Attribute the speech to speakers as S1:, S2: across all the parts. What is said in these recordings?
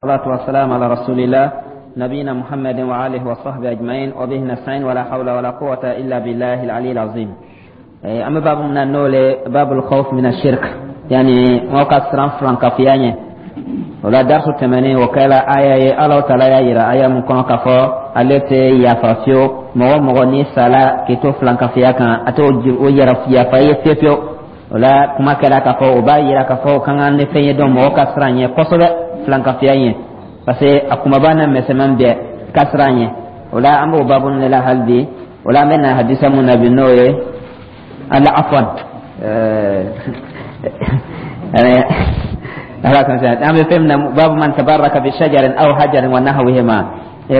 S1: الصلاة والسلام على رسول الله نبينا محمد وآله وصحبه أجمعين وبه نستعين ولا حول ولا قوة إلا بالله العلي العظيم. أما باب من النول باب الخوف من الشرك، يعني موقع سران فلانكافيا ɲɛ. O la darisu tɛmɛnen, o kɛla aya ye Ala taala y'a yira aya mun kɔnɔ k'a fɔ ale tɛ yafa fiyewu mɔgɔ mɔgɔ ni sala k'i to filankafiya kan, a t'o o yɛrɛ yafa i ye fiyewu fiyewu. O la kuma kɛra k'a fɔ o b'a yira k'a fɔ o ka kan ni fɛn ye dɔn mɔgɔ ka siran ɲɛ kosɛbɛ, filankafiya ɲɛ, parce que a kumaba n'a misɛnman bɛɛ ka siran ɲɛ. O la an b'o babu de la hali bi. O la an bɛ na hadisa mun na bi, n'o ye ala afwan ala kan an bɛ fɛn min na, babu man tabaraka bi shajarin aw hajarin wa nahwihima.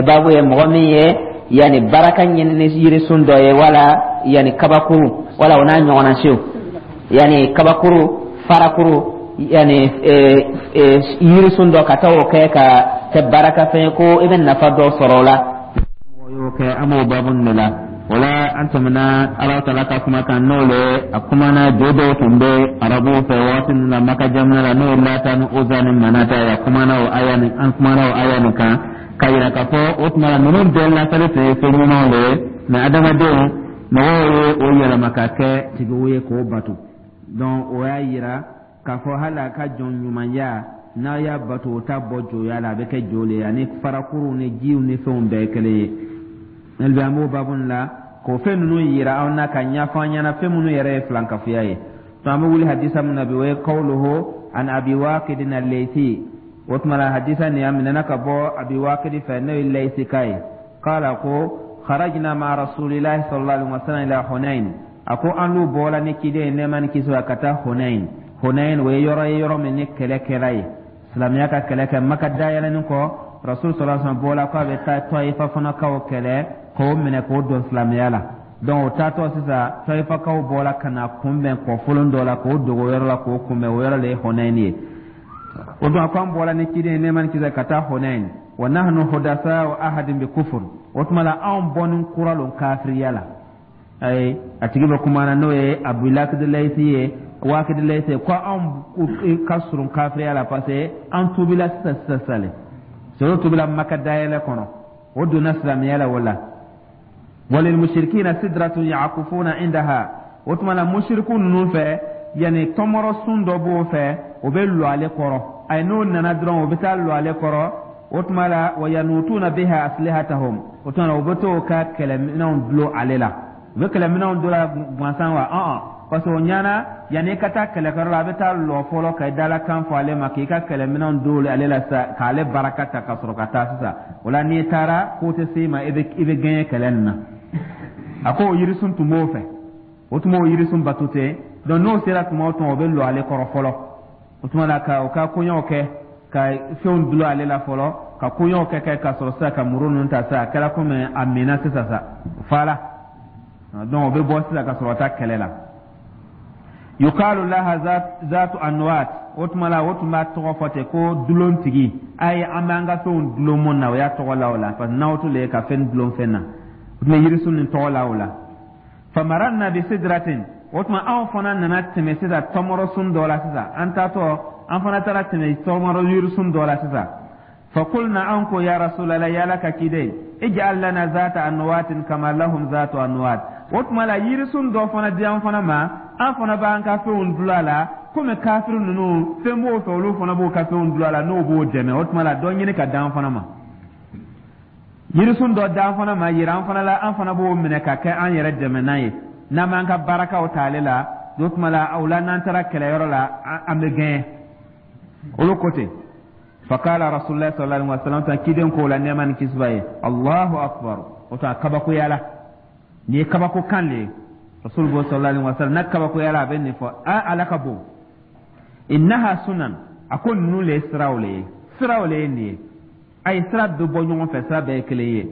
S1: Babu ye mɔgɔ min ye yani baraka ɲini ni yirisun dɔ ye, wala yani kabakuru, wala o n'a ɲɔgɔnna siw, yani kabakuru, farakuru, yani yirisun dɔ, ka taa o kɛ ka kɛ baraka fɛn ye ko i bɛ nafa dɔ sɔrɔ o la, mɔgɔ y'o kɛ, an b'o babu de la. O la an tɛmɛna Ala taala ka kuma kan, n'o le a kumana jo dɔw tun bɛ arabuw fɛ waati min na Maka jamana la, n'o ye Lata ni Oza ni Manata ye. A kumana o aya ni an kumana o aya nin kan ka yira k'a fɔ o tuma la ninnu bɛɛ lasali tun ye fɛn ɲumanw de ye, mɛ adamadenw mɔgɔw ye o yɛlɛma ka kɛ tigiw ye k'o bato. Donc o y'a yira k'a fɔ hali a ka jɔn ɲumanya, n'a y'a bato, o t'a bɔ joya la, a bɛ kɛ jo le ye, ani farakuruw ni jiw ni fɛnw bɛɛ ye kelen ye. Hali bi an b'o babu la k'o fɛn ninnu yira aw na ka ɲɛfɔ an ɲɛna fɛn minnu yɛrɛ ye filankafoya ye. To an bɛ wuli hadisa min na bi, o ye kawluhu an Abi Waqidin al-Laythi. O tuma la hadisa nin a minɛna ka bɔ Abi Waqidi fɛ, n'o ye Layisi ka ye. Qala, ko kharajna ma rasulillahi sallallahu alaihi wasallam ila Hunain. A ko an n'u bɔra ni ciden ye, nɛɛma ni kisi, ka taa Hunain. Hunain, o ye yɔrɔ ye, yɔrɔ min ni kɛlɛ kɛra ye, silamɛya ka kɛlɛ kɛ Maka dayɛlɛnin kɔ. Rasul sallallahu alaihi wasallam bɔra k'a bɛ taa Tɔyifa fanakaw kɛlɛ k'o minɛ k'o don silamɛya la. Donc o taatɔ sisan, Tɔyifakaw bɔra ka na kunbɛn kɔfolon dɔ la k'o dogo yɔrɔ la k'o kunbɛn. O yɔrɔ de ye Hunain ye. O don, a ko an bɔra ni ciden ye, nɛɛma ni kisi, ka taa Hunain. Wa nahnu hudasa ahadin bi kufur. O tuma la anw bɔnin kura lon kafiriya la. Ayi, a tigi bɛ kuma na, n'o ye Abu Lakidilayisi ye, Wakidilayisi, ko anw ka surun kafiriya la, parce que an tubila sisan sisan sisan le soro tubila Maka dayɛlɛ kɔnɔ, o donna silamɛya la. O la walil mushrikina sidratun yaqufuna indaha. O tuma la mushriku ninnu fɛ, yanni tɔmɔrɔ sun dɔ b'o fɛ, o bɛ lɔ ale kɔrɔ. Ayi, n'o nana dɔrɔn, o bɛ taa lɔ ale kɔrɔ. O tuma la wa yanutuna biha aslihatahum. O tuma la o bɛ t'o ka kɛlɛminɛnw dulon ale la. U bɛ kɛlɛminɛnw dulon la gansan wa? Ɔn, parce que o ɲɛna, yanni i ka taa kɛlɛkɛyɔrɔ la, a bɛ taa lɔ fɔlɔ ka i dalakan fɔ ale ma, k'i ka kɛlɛminɛnw don ale la sisan, k'ale baraka ta ka sɔrɔ ka taa sisan. O la n'i taara, ko tɛ se i ma, i bɛ gɛɲɛ kɛlɛ nin na. A ko o yirisun tun b'o fɛ, o tun b'o yirisun bato ten. Donc n'o sera tuma o tuma, o bɛ lɔ ale kɔrɔ fɔlɔ. O tuma la ka o ka koɲɛw kɛ, ka fɛnw dulon ale la fɔlɔ, ka koɲɛw kɛ ka sɔrɔ sisan ka muru ninnu ta sisan. A kɛra komi a minna sisan sa fa la. Donc o bɛ bɔ sisan ka sɔrɔ ka taa kɛlɛ la. Yukalu laha zatu anwat. O tuma la o tun b'a tɔgɔ fɔ ten ko dulontigi. A ye an b'an ka fɛnw dulon mun na, o y'a tɔgɔ la o la, parce que n'aw to le ye ka fɛn dulon fɛn na, o tun bɛ yirisun nin tɔgɔ la o la. Famaranna bi sidratin. O tuma anw fana nana tɛmɛ sisan tɔmɔrɔsun dɔ la sisan. An taatɔ, an fana taara tɛmɛ tɔmɔrɔ yirisun dɔ la sisan. Fakulna, an ko ya rasulallah, yala ka ciden, ij'al lana zata anwatin kama lahum zatu anwat. O tuma la yirisun dɔ fana di an fana ma, an fana b'an ka fɛnw dulon a la, komi kafiri ninnu fɛn b'o fɛ, olu fana b'o ka fɛnw dulon a la, n'o b'o dɛmɛ. O tuma la dɔ ɲini ka d'an fana ma, yirisun dɔ d'an fana ma, yira an fana la, an fana b'o minɛ ka kɛ an yɛrɛ dɛmɛ n'a ye, n'an b'an ka barakaw ta ale la. O tuma la o la n'an taara kɛlɛyɔrɔ la, an bɛ gɛɲɛ. Olu ko ten. Fakala rasulillah sallallahu alaihi wasallam, tan ciden ko la, nɛɛma ni kisi b'a ye: Allahu akbar. O tuma kabakoya la, nin ye kabako kan le ye. Rasul bo sallallahu alaihi wasallam n'a kabakoya la, a bɛ nin fɔ: a Ala ka bon. Innaha sunan. A ko ninnu le ye siraw le ye, siraw le ye nin ye. A ye sira bɛ bɔ ɲɔgɔn fɛ, sira bɛɛ ye kelen ye.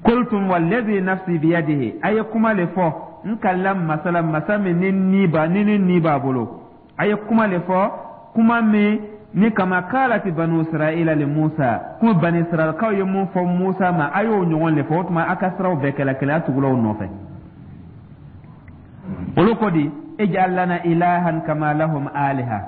S1: Qultum walladhi nafsi biyadihi. A ye kuma le fɔ, n kalila masa la, masa min ni ni b'a ni b'a bolo. A ye kuma le fɔ, kuma min ni kama kalati banu Israila li Musa, kuma bani Israilakaw ye mun fɔ Musa ma, a y'o ɲɔgɔn le fɔ. O tuma a ka siraw bɛɛ kɛla kelen, a tugula o nɔfɛ. Olu ko di: ij'al lana ilahan kama lahum aliha.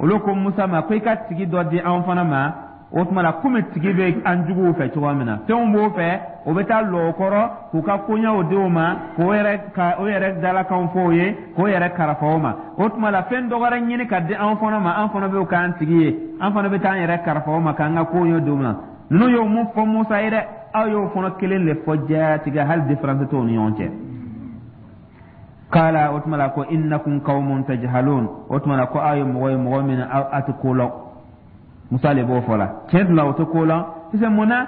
S1: Olu ko Musa ma ko i ka tigi dɔ di anw fana ma. O tuma la, komi tigi bɛ an juguw fɛ cogoya min na, fɛnw b'o fɛ, o bɛ taa lɔ o kɔrɔ k'u ka koɲɛw di o ma, k'o yɛrɛ ka o yɛrɛ dalakanw fɔ o ye, k'o yɛrɛ karafa o ma. O tuma la, fɛn dɔ wɛrɛ ɲini ka di anw fana ma, an fana bɛ k'an tigi ye, an fana bɛ taa an yɛrɛ karafa o ma k'an ka koɲɛ di o ma. Ninnu y'o mun fɔ Musa ye dɛ, aw y'o fana kelen de fɔ jatigɛ, hali différence t'o ni ɲɔgɔn cɛ. Kala, o tuma la ko innakum qaumun tajhalun. O tuma la ko aw ye mɔgɔ ye, mɔgɔ min aw a tɛ ko lɔn. Musa le b'o fɔ la. Tiɲɛ tun la, o tɛ ko lɔn, parce que mun na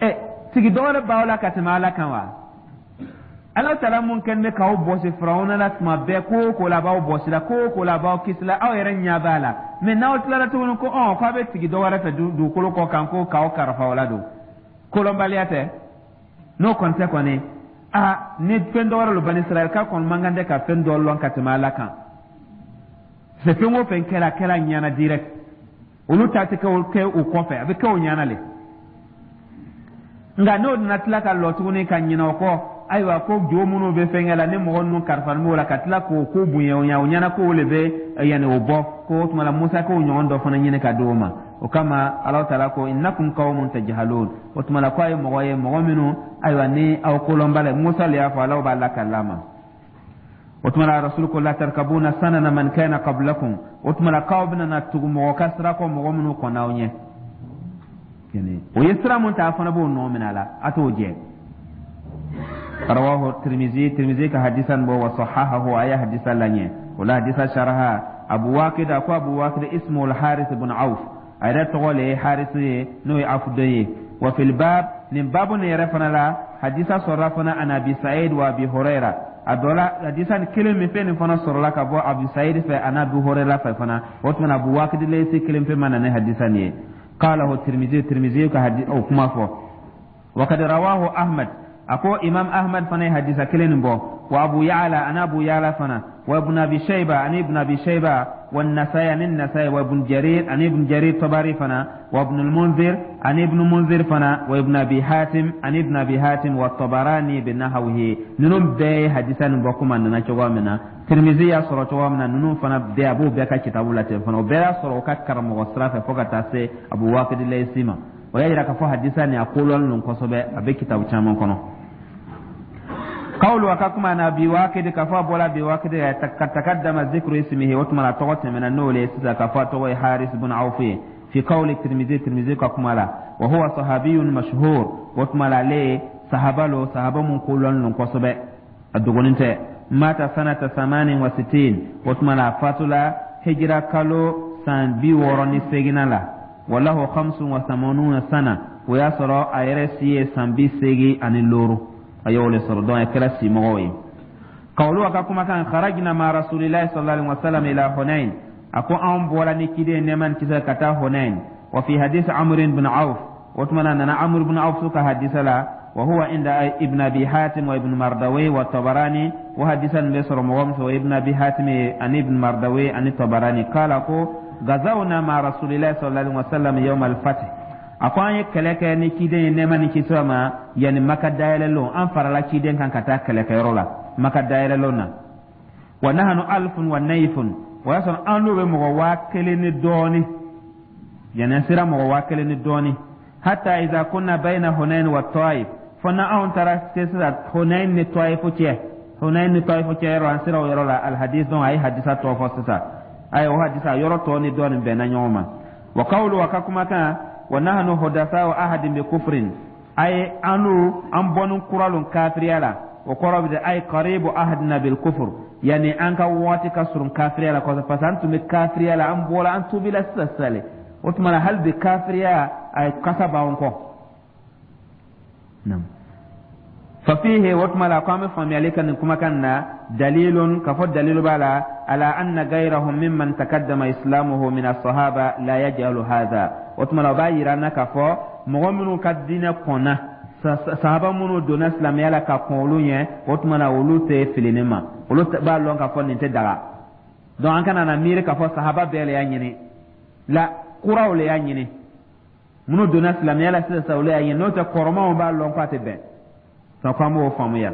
S1: ɛ tigi dɔ wɛrɛ b'aw la ka tɛmɛ Ala kan wa? Ala taala mun kɛlen bɛ k'aw bɔsi Firawuna la tuma bɛɛ, ko o ko la a b'aw bɔsi la, ko o ko la a b'aw kisi la, aw yɛrɛ ɲɛ b'a la. Mɛ n'aw tilara tuguni ko k'aw bɛ tigi dɔ wɛrɛ fɛ dugukolo kɔ kan ko k'aw karafa o la don, kolɔnbaliya tɛ? N'o kɔni tɛ kɔni, aa, ni fɛn dɔ wɛrɛ lo, Bani Israɛl ka kɔni man kan tɛ ka fɛn dɔ lɔn ka tɛmɛ Ala kan. C'est fɛn o fɛn kɛra, a kɛra ɲɛna direct. Olu ta tɛ kɛ o kɔfɛ, a bɛ kɛ o ɲɛna le. Nka n'o nana tila ka lɔ tuguni ka ɲinɛ o kɔ, ayiwa, ko jo minnu bɛ fɛnkɛ la ni mɔgɔ ninnu kalifalen b'o la, ka tila k'o ko bonya o ɲɛ, o ɲɛna k'o le bɛ yanni o bɔ ko o tuma la, Musa k'o ɲɔgɔn dɔ fana ɲini ka di o ma. O kama Ala taala ko innakum qaumun tajhalun. O tuma la ko a ye mɔgɔ ye, mɔgɔ minnu, ayiwa, ni aw kolɔnba la. Musa le y'a fɔ, Ala b'a lakali a ma. O tuma la, Rasul ko latarkabuna sanana man kana qablakum. O tuma la k'aw bɛna na tugu mɔgɔ ka sira kɔ, mɔgɔ minnu kɔnna aw ɲɛ, o ye sira mun ta, a fana b'o nɔ minɛ a la, a t'o jɛ. Rawahu Tirmizi, Tirmizi ka hadisan bɔ, wa sahahahu, a ye hadisa laɲɛ. O la hadisa sharaha, Abu Wakid ko, Abu Wakid ismu al-Haris ibn Auf, a yɛrɛ tɔgɔ le ye Haris ye, n'o ye Auf den ye. Wa fil bab, nin babu nin yɛrɛ fana la, hadisa sɔrɔla fana an Abi Sa'id wa Abi Huraira. A dɔ la, hadisa nin kelen min fɛn nin fana sɔrɔla ka bɔ Abu Sa'id fɛ ani Abu Huraira fɛ fana. O tuma na, Abu Wakid Laysi kelen pe ma na ni hadisa nin ye. Qalahu Tirmizi, Tirmizi ka o kuma fɔ. Wa kad rawahu Ahmad, a ko Imam Ahmad fana ye hadisa kelen nin bɔ, wa Abu Ya'la, ani Abu Ya'la fana, wa Ibn Abi Shayba, ani Ibn Abi Shayba, wa Nasai, ani Nasai, wa Ibn Jarir, ani Ibn Jarir Tabari fana, wa Ibn al-Munzir, ani Ibn Munzir fana, wa Ibn Abi Hatim, ani Ibn Abi Hatim, wa Tabarani binahwihi. Ninnu bɛɛ ye hadisa nin bɔ kuma nana cogoya min na, Tirmizi y'a sɔrɔ cogoya min na, ninnu fana bɛɛ a b'o bɛɛ ka kitabu la ten fana. O bɛɛ y'a sɔrɔ o ka karamɔgɔ sira fɛ fo ka taa se Abu Waqid Laysi ma. O y'a yira k'a fɔ hadisa nin a kolɔlen don kosɛbɛ, a bɛ kitabu caman kɔnɔ. Qawlu, a ka kuma na, Abi Waqid, k'a fɔ a bɔra Abi Waqid ka takaddama zikru ismihi. O tuma na tɔgɔ tɛmɛna n'o le ye sisan, k'a fɔ a tɔgɔ ye Haris ibn Awf ye. Fi qawli Tirmizi, Tirmizi ka kuma la, wa huwa sahabiyun mashhur. O tuma la ale ye sahaba lo, sahaba mun kolɔlen don kosɛbɛ, a dogonin tɛ. Mata sanata 68. O tuma na a fatula hijira kalo san 68nan la. Walahu 85 sana, o y'a sɔrɔ a yɛrɛ si ye san 85, a y'o le sɔrɔ. Donc a kɛra simɔgɔw ye. Kawulu, a ka kumakan, kharajna ma rasulillahi sallallahu alaihi wasallam ila Hunain. A ko anw bɔra ni kiden nɛɛma ni kisi ka taa Hunain. Wa fi hadith Amr ibn Auf, o tuma na nana Amr ibn Auf ka hadisa la, wa huwa inda Ibn Abi Hatim wa Ibn Mardawi wa Tabarani. Wa hadisa nin bɛ sɔrɔ mɔgɔ min fɛ, o Ibn Abi Hatim ye, ani Ibn Mardawi ani Tabarani. Kala ko gazawna ma rasulillahi sallallahu alaihi wasallam yawm al-fath. A ko an ye kɛlɛ kɛ ni ciden ye nɛɛma ni kisi ma yanni Maka dayɛlɛlon. An farala ciden kan ka taa kɛlɛkɛyɔrɔ la Maka dayɛlɛlon na. Wa nahanu alfun wa nayfun, o y'a sɔrɔ an n'o bɛ mɔgɔ 1000 ni dɔɔni, yanni an sera mɔgɔ 1000 ni dɔɔni. Hatta iza kunna bayna Hunain wa Taif, fo na anw taara se sisan Hunain ni Taif cɛ, Hunain ni Taif cɛ yɔrɔ, an sera o yɔrɔ la. Alhadis, donc a ye hadisa tɔ fɔ sisan. A ye o hadisa yɔrɔ tɔ ni dɔɔni bɛnna ɲɔgɔn ma. Wa qawlu, wa ka kumakan, wa nahnu hudasa wa ahadin bi kufrin, ay anu an bɔnni kura lon kafiriya la. O kɔrɔ bɛ de ay qaribu ahadina bil kufr, yani an ka waati ka surun kafiriya la kosɛbɛ, parce que an tun bɛ kafiriya la, an bɔra, an tubila sisan sisan le. O tuma na hali bi kafiriya a kasa b'an kɔ. Naam. Fafihi, o tuma la ko an bɛ faamuyali kɛ nin kumakan na, dalilun, ka fɔ dalilu b'a la, ala anna gayrahum mimman takaddama islamuhu min as-sahaba la yaj'alu hadha. O tuma la o b'a yira an na k'a fɔ mɔgɔ minnu ka diinɛ kɔnna, sahaba minnu donna silamɛya la ka kɔn olu ɲɛ, o tuma na olu tɛ fili nin ma, olu b'a lɔn k'a fɔ nin tɛ daga. Donc an kana na miiri k'a fɔ sahaba bɛɛ le y'a ɲini la, kuraw le y'a ɲini, minnu donna silamɛya la sisan, olu y'a ɲini. N'o tɛ, kɔrɔmaw b'a lɔn k'a tɛ bɛn. Donc an b'o faamuya.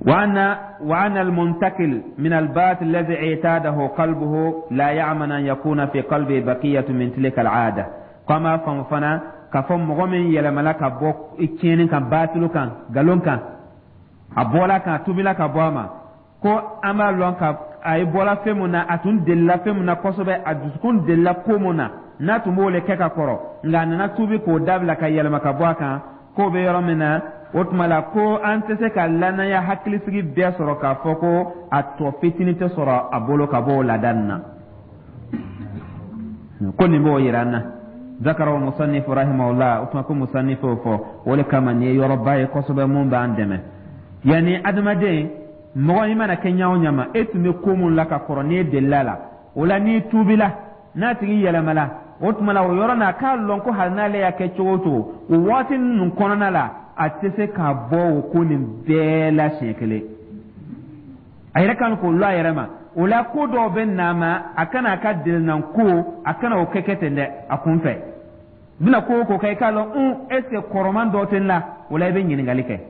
S1: وأن المنتقل من الباطل الذي اعتاده قلبه لا يأمن أن يكون في قلبه بقية من تلك العادة. Kama faamu fana k'a fɔ mɔgɔ min yɛlɛmala ka bɔ tiɲɛni kan, baatilu kan, nkalon kan, a bɔla kan, a tubila ka bɔ a ma, ko an b'a lɔn ka a ye bɔla fɛn mun na, a tun delila fɛn mun na kosɛbɛ, a dusukun delila ko mun na, n'a tun b'o le kɛ ka kɔrɔ, nka a nana tubi k'o dabila ka yɛlɛma ka bɔ a kan, k'o bɛ yɔrɔ min na, o tuma la ko an tɛ se ka lanaya hakilisigi bɛɛ sɔrɔ k'a fɔ ko a tɔ fitinin tɛ sɔrɔ a bolo ka bɔ o laada nin na. Ko nin b'o yira an na. ذكره المصنف رحمه الله. O tuma ko musannif o fɔ, o le kama nin ye yɔrɔba ye kosɛbɛ mun b'an dɛmɛ. Yanni adamaden mɔgɔ i mana kɛ ɲa o ɲa ma, e tun bɛ ko mun la ka kɔrɔ, n'i delila la o la, n'i tuubila, n'a tigi yɛlɛmala, o tuma la o yɔrɔ n'a k'a lɔn ko hali n'ale y'a kɛ cogo o cogo, o waati ninnu kɔnɔna la, a tɛ se ka bɔ o ko nin bɛɛ la siɲɛ kelen. A yɛrɛ kan k'o lɔ a yɛrɛ ma. O la ko dɔw bɛ na ma, a kana a ka delinan ko, a kana o kɛ kɛ ten dɛ. A kun fɛ bɛna ko o ko kɛ, i k'a lɔn un, est ce que kɔrɔman dɔ tɛ n la? O la i bɛ ɲininkali kɛ,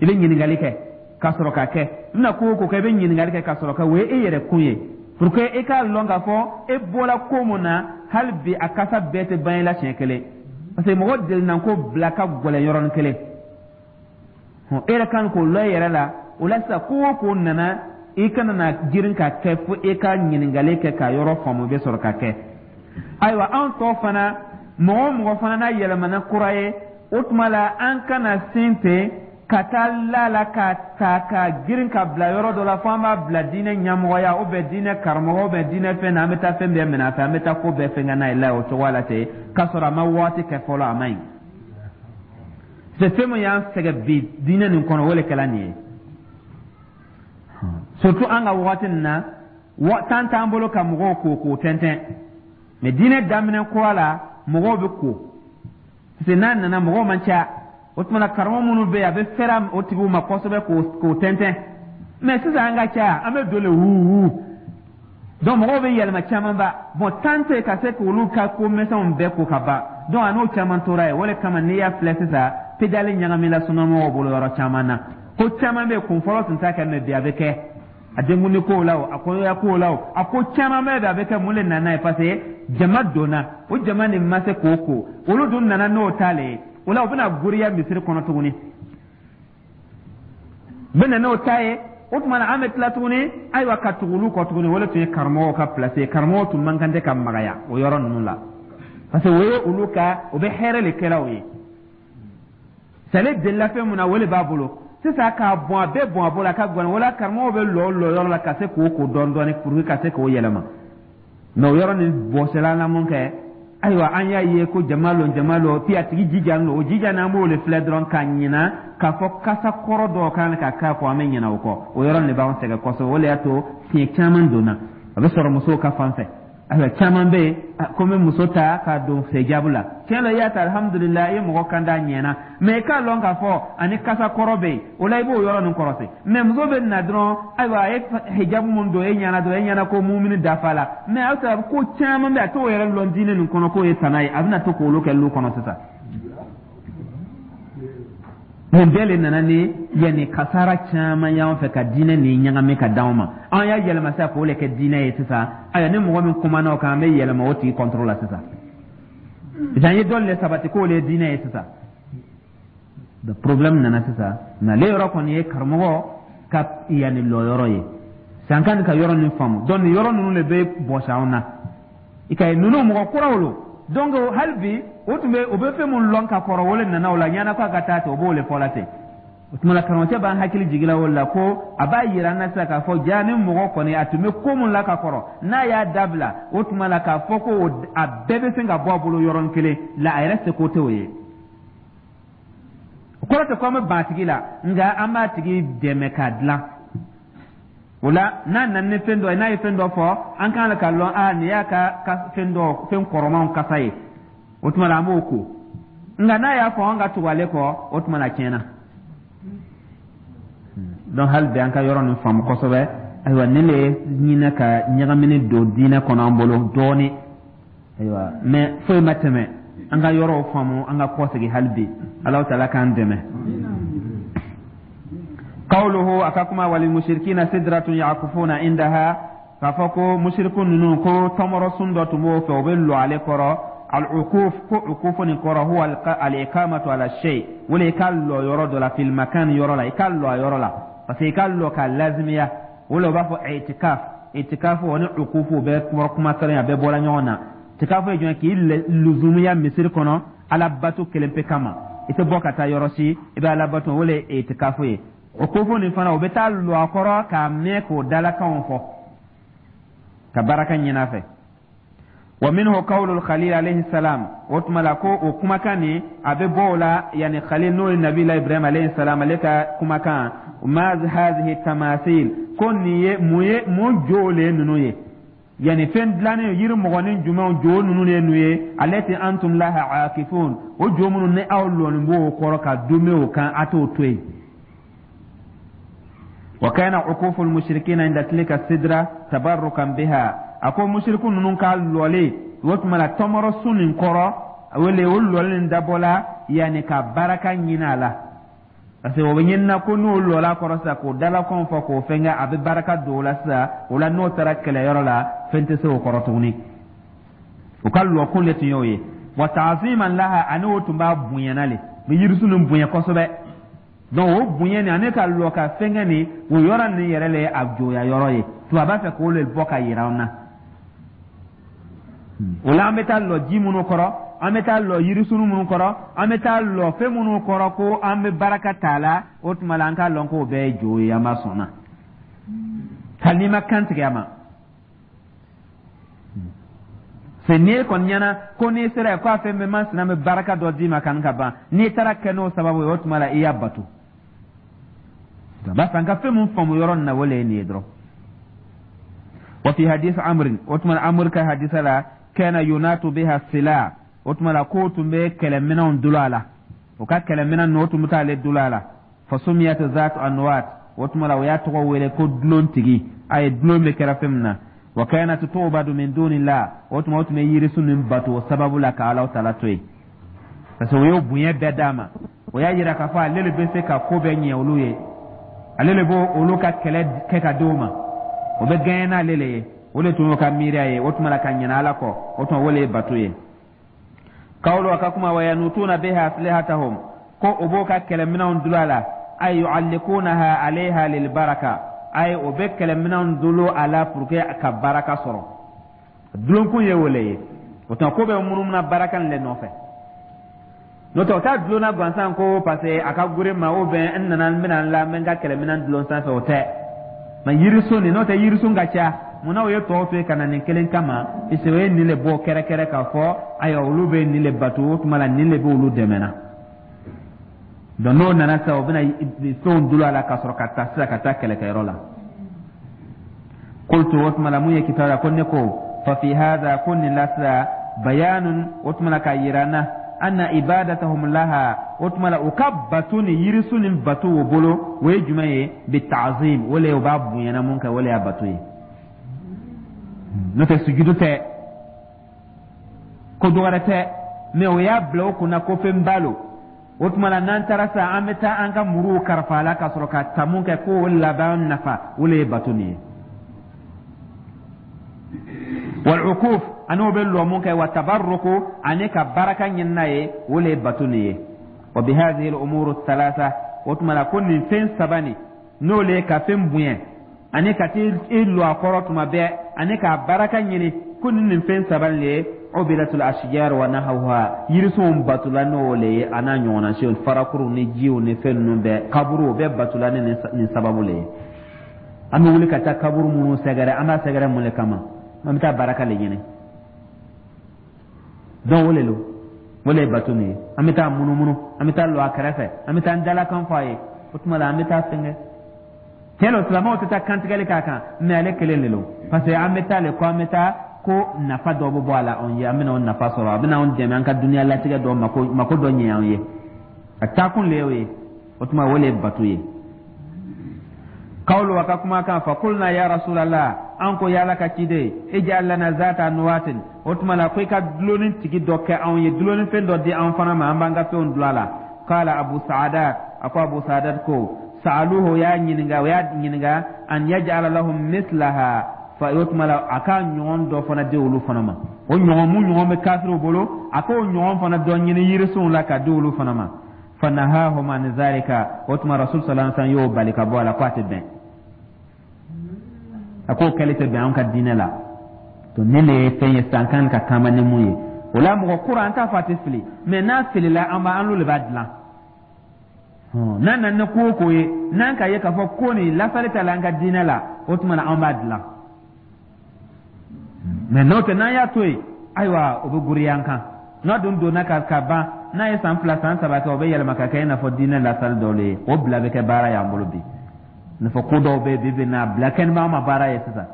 S1: i bɛ ɲininkali kɛ ka sɔrɔ ka kɛ. I bɛna ko o ko kɛ, i bɛ ɲininkali kɛ ka sɔrɔ ka o ye e yɛrɛ kun ye, pour que i k'a lɔn k'a fɔ e bɔra ko mun na, hali bi a kasa bɛɛ tɛ ban i la siɲɛ kelen, parce que mɔgɔ delinan ko bila ka gɛlɛn yɔrɔnin kelen. E yɛrɛ kan k'o lɔn i yɛrɛ la. O la sisan, ko o ko nana, i kana na girin ka kɛ fo e ka ɲininkali kɛ ka yɔrɔ faamu, i bɛ sɔrɔ ka kɛ. Ayiwa, anw tɔ fana, mɔgɔ o mɔgɔ fana n'a yɛlɛmana kura ye, o tuma la an kana sen ten ka taa la la ka ta ka girin ka bila yɔrɔ dɔ la fo an b'a bila diinɛ ɲɛmɔgɔya ou bien diinɛ karamɔgɔ ou bien diinɛ fɛn na, an bɛ taa fɛn bɛɛ minɛ a fɛ, an bɛ taa ko bɛɛ fɛn n'a ye la o cogoya la ten, k'a sɔrɔ a ma waati kɛ fɔlɔ. A man ɲi. C'est fɛn min y'an sɛgɛn bi diinɛ nin kɔnɔ, o de kɛla nin ye. Surtout an ka waati nin na, temps t'an bolo ka mɔgɔw ko k'o tɛntɛn. Mais diinɛ daminɛ kura la, mɔgɔw bɛ ko, parce que n'a nana, mɔgɔw man ca. O tuma na karamɔgɔ minnu bɛ yen, a bɛ fɛrɛ o tigiw ma kosɛbɛ k'o tɛntɛn. Mais sisan an ka ca, an bɛ don le wu wu, donc mɔgɔw bɛ yɛlɛma camanba. Bon, temps tɛ ka se k'olu ka ko misɛnw bɛɛ ko ka ban. Donc a n'o caman tora yen. O de kama n'i y'a filɛ sisan, pédale ɲagamina sunnamɔgɔw bolo yɔrɔ caman na. Ko caman bɛ yen, kun fɔlɔ tun t'a kɛ, mais bi a bɛ kɛ. A denkundi kow la o, a kɔɲɔya kow la o, a ko caman bɛ yen, a bɛ kɛ. Mun de nana ye? Parce que jama donna, o jama nin ma se k'o ko, olu dun nana n'o ta le ye. O la u bɛna goriya misiri kɔnɔ tuguni, u bɛ na n'o ta ye. O tuma na an bɛ tila tuguni, ayiwa, ka tugu olu kɔ tuguni. O de tun ye karamɔgɔw ka place ye. Karamɔgɔw tun man kan tɛ ka magaya o yɔrɔ ninnu la, parce que o ye olu ka, o bɛ hɛrɛ de kɛla o ye. Sale delila fɛn mun na, o de b'a bolo sisan k'a bɔn, a bɛɛ bɔn a bolo, a ka gɔni. O la karamɔgɔw bɛ lɔ lɔ yɔrɔ la ka se k'o ko dɔɔni dɔɔni pour que ka se k'o yɛlɛma. Mais o yɔrɔ nin bɔsɛla la mun kɛ? Ayiwa, an y'a ye ko jama lon, jama lon, puis a tigi jija lo, o jija n'an b'o le filɛ dɔrɔn ka ɲina k'a fɔ kasa kɔrɔ dɔw kan ka k'a kɔ, an bɛ ɲinɛ o kɔ. O yɔrɔ de b'anw sɛgɛn kosɛbɛ. O de y'a to fiɲɛ caman donna, a bɛ sɔrɔ musow ka fan fɛ. Ayiwa, caman bɛ yen ko n bɛ muso ta k'a don hijabu la. Tiɲɛ la, i y'a ta, alhamdulilah, i ye mɔgɔ kan d'a ɲɛna, mais i k'a lɔn k'a fɔ ani kasa kɔrɔ bɛ yen. O la i b'o yɔrɔ nin kɔrɔsi. Mais muso bɛ na dɔrɔn, ayiwa, a ye hijabu mun don e ɲɛna dɔrɔn, e ɲɛna ko mumini dafa la. Mais a sɔrɔ ko caman bɛ yen, a t'o yɛrɛ lɔn diinɛ nin kɔnɔ k'o ye tana ye, a bɛna to k'olu kɛ lu kɔnɔ sisan. Nin bɛɛ le nana ni yanni kasara caman y'an fɛ ka diinɛ nin ɲagami ka d'anw ma. An y'a yɛlɛma sisan k'o le kɛ diinɛ ye sisan. Ayiwa, ni mɔgɔ min kumana o kan, an bɛ yɛlɛma o tigi contre la sisan. Sisan an ye dɔ le sabati k'o le ye diinɛ ye sisan. Problème nana sisan. Mais ale yɔrɔ kɔni ye karamɔgɔ ka yanni lɔyɔrɔ ye sisan kan ka yɔrɔ nin faamu. Donc nin yɔrɔ ninnu de bɛ bɔsi anw na. I ka ye ninnu mɔgɔ kuraw lo. Donc hali bi o tun bɛ o bɛ fɛn mun lɔn ka kɔrɔ, o le nana o la ɲɛna ko a ka taa ten, o b'o le fɔ la ten. O tuma la karamɔgɔcɛ b'an hakili jigin o la ko a b'a yira an na sisan k'a fɔ ja ni mɔgɔ kɔni a tun bɛ ko mun la ka kɔrɔ, n'a y'a dabila, o tuma la k'a fɔ ko a bɛɛ bɛ se ka bɔ a bolo yɔrɔnin kelen la, a yɛrɛ seko tɛ o ye. O kɔrɔ tɛ ko an bɛ ban a tigi la, nka an b'a tigi dɛmɛ k'a dilan. O la n'a nana ni fɛn dɔ ye, n'a ye fɛn dɔ fɔ, an kan ka lɔn a nin y'a ka fɛn dɔ, fɛn kɔrɔmanw kasa ye. O tuma la an b'o ko, nka n'a y'a fɔ an ka tugu ale kɔ, o tuma la tiɲɛna. Donc hali bi an ka yɔrɔ nin faamu kosɛbɛ. Ayiwa, nin le ye ɲinɛ ka ɲagamini don diinɛ kɔnɔ an bolo dɔɔni. Ayiwa, mais foyi ma tɛmɛ an ka yɔrɔw faamu, an ka kɔsegin hali bi. Alahu taala k'an dɛmɛ. Qawluhu, a ka kuma, walil mushrikina sidratun yaqufuna indaha, k'a fɔ ko musiriku ninnu ko tɔmɔrɔsun dɔ tun b'o fɛ, o bɛ lɔ ale kɔrɔ. Al-ukuf, ko ukufu nin kɔrɔ huwa al-iqamatu ala shay, wala i ka lɔ yɔrɔ dɔ la, fil makan, yɔrɔ la, i ka lɔ a yɔrɔ la, parce que i ka lɔ k'a lazimiya, o la u b'a fɔ itikaf. Itikaf o ni ukufu bɛɛ kuma kelen, a bɛɛ bɔra ɲɔgɔn na. Itikafu ye jumɛn? K'i luzumiya misiri kɔnɔ ala bato kelen pe kama, i tɛ bɔ ka taa yɔrɔ si, i bɛ ala bato, o le ye itikafu ye. Ukufu nin fana, o bɛ taa lɔ a kɔrɔ k'a mɛn k'o dalakanw fɔ ka baraka ɲini a fɛ. Wa minhu qawlu khalil alayhi salam, o tuma la ko o kumakan nin a bɛ bɔ o la, yani khalil, n'o ye nabila Ibrahim alayhi salam, ale ka kumakan, ma hadhihi tamathil, ko nin ye mun ye? Mun jow le ye ninnu ye? Yani fɛn dilannen yiri mɔgɔnin jumɛnw jo ninnu ye ninnu ye? Allati antum laha akifun, o jo minnu ni aw lɔnin b'o kɔrɔ ka dume o kan, a t'o to yen. Wa kana ukufu almushrikina inda tilka sidra tabarrukan biha, a ko mushriku ninnu ka lɔlen o tuma la tɔmɔrɔsun nin kɔrɔ, wele o lɔlen nin dabɔla yanni ka baraka ɲini a la, parce que o bɛ ɲinina ko n'o lɔla kɔrɔ sisan k'o dalakanw fɔ k'o fɛnkɛ, a bɛ baraka don o la sisan. O la n'o taara kɛlɛyɔrɔ la, fɛn tɛ se o kɔrɔ tuguni. O ka lɔkun de tun y'o ye. Wa ta'ziman laha, ani o tun b'a bonyana le, bɛ yirisun nin bonya kosɛbɛ. Donc o bonya nin ani ka lɔ ka fɛnkɛ nin, o yɔrɔ nin yɛrɛ le ye a joya yɔrɔ ye. Tubabu b'a fɛ k'o le bɔ ka yira an na. O la an bɛ taa lɔ ji minnu kɔrɔ, an bɛ taa lɔ yirisunu minnu kɔrɔ, an bɛ taa lɔ fɛn minnu kɔrɔ ko an bɛ baraka t'a la, o tuma la an k'a lɔn k'o bɛɛ ye jo ye, an b'a sɔn na hali n'i ma kan tigɛ a ma. Se n'i kɔni ɲɛna ko n'i sera yen ko a fɛn bɛɛ masina bɛ baraka dɔ d'i ma kan ka ban, n'i taara kɛ n'o sababu ye, o tuma la i y'a bato. B'a fɛ an ka fɛn mun faamu yɔrɔ nin na, o le ye nin ye dɔrɔn. Wa fi hadith amrin, o tuma amr ka hadisa la, kana yunatu biha sila, o tuma la k'o tun bɛ kɛlɛminɛnw dulon a la, o ka kɛlɛminɛn ninnu, o tun bɛ t'ale dulon a la. Fasumiyat zat anwat, o tuma la o y'a tɔgɔ wele ko dulon tigi, a ye dulon bɛ kɛra fɛn min na. Wa kanat tu'badu min dunillah, o tuma o tun bɛ yirisun nin bato o sababu la ka Alahu taala to yen, parce que o y'o bonya bɛɛ d'a ma. O y'a yira k'a fɔ ale le bɛ se ka ko bɛɛ ɲɛ olu ye, ale le b'o olu ka kɛlɛ kɛ ka di o ma, o bɛ gɛɲɛ n'ale le ye. O de tun y'o ka miiriya ye. O tuma la ka ɲinɛ Ala kɔ, o tuma o le ye bato ye. Kawlo, a ka kuma, wa yanutuna biha aslihatahum, ko o b'o ka kɛlɛminɛnw dulon a la, ay yu'allikunaha alayha lilbaraka, ay o bɛ kɛlɛminɛnw dulon a la pour que ka baraka sɔrɔ. Dulonkun ye o le ye. O tuma ko bɛ munumuna baraka nin le nɔfɛ. N'o tɛ o t'a dulonna gansan ko parce que a ka gure ma ou bien n nana n bɛna n la n bɛ n ka kɛlɛminɛn dulon sanfɛ, o tɛ. Mɛ yirisun nin, n'o tɛ yirisun ka ca, munna o ye tɔw to yen ka na nin kelen kama? Puisque o ye nin le bɔ kɛrɛkɛrɛ k'a fɔ ayiwa olu bɛ nin le bato, o tuma la nin le bɛ olu dɛmɛ na. Donc n'o nana sisan, o bɛna fɛnw dulon a la ka sɔrɔ ka taa sisan ka taa kɛlɛkɛyɔrɔ la. Qultu, o tuma la mun ye kitabu la ko ne ko fa fi hadha, ko nin la sisan bayanun, o tuma la k'a yira n na, anna ibadatahum laha, o tuma la u ka bato ni yirisun ni bato o bolo, o ye jumɛn ye? Bi ta'zim, o le o b'a bonyana mun kɛ, o le y'a bato ye. N'o tɛ sujudu tɛ, ko dɔ wɛrɛ tɛ, mɛ o y'a bila o kunna ko fɛn ba lo. O tuma la n'an taara sisan, an bɛ taa an ka muruw karafa a la ka sɔrɔ ka ta mun kɛ k'o laban nafa, o le ye bato nin ye. Wal ukuf, ani o bɛ lɔ mun kɛ, wa tabarruku, ani ka baraka ɲini n'a ye, o le ye bato nin ye. Wa bi hadhihi al umuru thalatha, o tuma la ko nin fɛn saba nin, n'o le ye ka fɛn bonya ani ka t'i lɔ a kɔrɔ tuma bɛɛ ani k'a baraka ɲini, ko ni nin fɛn saba nin ye, ubidatul ashjar wa nahawha, yirisunw batula n'o le ye, a n'a ɲɔgɔnna siw, farakuruw ni jiw ni fɛn ninnu bɛɛ, kaburuw bɛɛ batula ni nin sababu le ye. An bɛ wuli ka taa kaburu minnu sɛgɛrɛ, an b'a sɛgɛrɛ mun le kama? An bɛ taa baraka le ɲini. Donc o le lo, o le ye bato nin ye. An bɛ taa munumunu, an bɛ taa lɔ a kɛrɛfɛ, an bɛ taa an dalakan fɔ a ye, o tuma la an bɛ taa fɛnkɛ. Tiɲɛ don, silamɛw tɛ taa kantigɛli k'a kan, mɛ ale kelen de don, parce que an bɛ taa le ko an bɛ taa ko nafa dɔ bɛ bɔ a la anw ye, an bɛna o nafa sɔrɔ, a bɛna anw dɛmɛ an ka dunuya latigɛ dɔ mako mako dɔ ɲɛ anw ye. A taakun le y'o ye. O tuma o le ye bato ye. Kawlu, a ka kumakan, fa kulna ya rasulallah, an ko y'Ala ka ciden, ij'al lana zata anwatin, o tuma la ko i ka dulonni tigi dɔ kɛ anw ye, dulonni fɛn dɔ di an fana ma, an b'an ka fɛnw dulon a la. Kala abu sa'adat, a ko abu sa'adat ko Sa'aluhu, o y'a ɲininka an yaj'ala lahum mislaha fa, o tuma la a ka ɲɔgɔn dɔ fana di olu fana ma, o ɲɔgɔn mun ɲɔgɔn bɛ kafiriw bolo, a k'o ɲɔgɔn fana dɔ ɲini yirisunw la ka di olu fana ma. Fanahahum an zalika, o tuma Rasul sallallahu alaihi wasallam y'o bali ka bɔ a la ko a tɛ bɛn, a k'o kɛli tɛ bɛn an ka diinɛ la. To ne le ye fɛn ye sisan kan ka taama ni mun ye, o la mɔgɔ kura an t'a fɔ a tɛ fili, mais n'a filila, an b'a an n'olu de b'a dilan. N'a nana ni ko o ko ye, n'an ka ye k'a fɔ ko nin lasali t'a la an ka diinɛ la, o tuma na an b'a dilan. Mais n'o tɛ, n'an y'a to yen, ayiwa, o bɛ goriya an kan. N'a dun donna ka ban, n'a ye san 2, san 3 kɛ, o bɛ yɛlɛma ka kɛ i n'a fɔ diinɛ lasali dɔw le ye. O bila bɛ kɛ baara y'an bolo bi, i n'a fɔ ko dɔw bɛ bi bi na bila kɛ ni b'an ma baara ye sisan,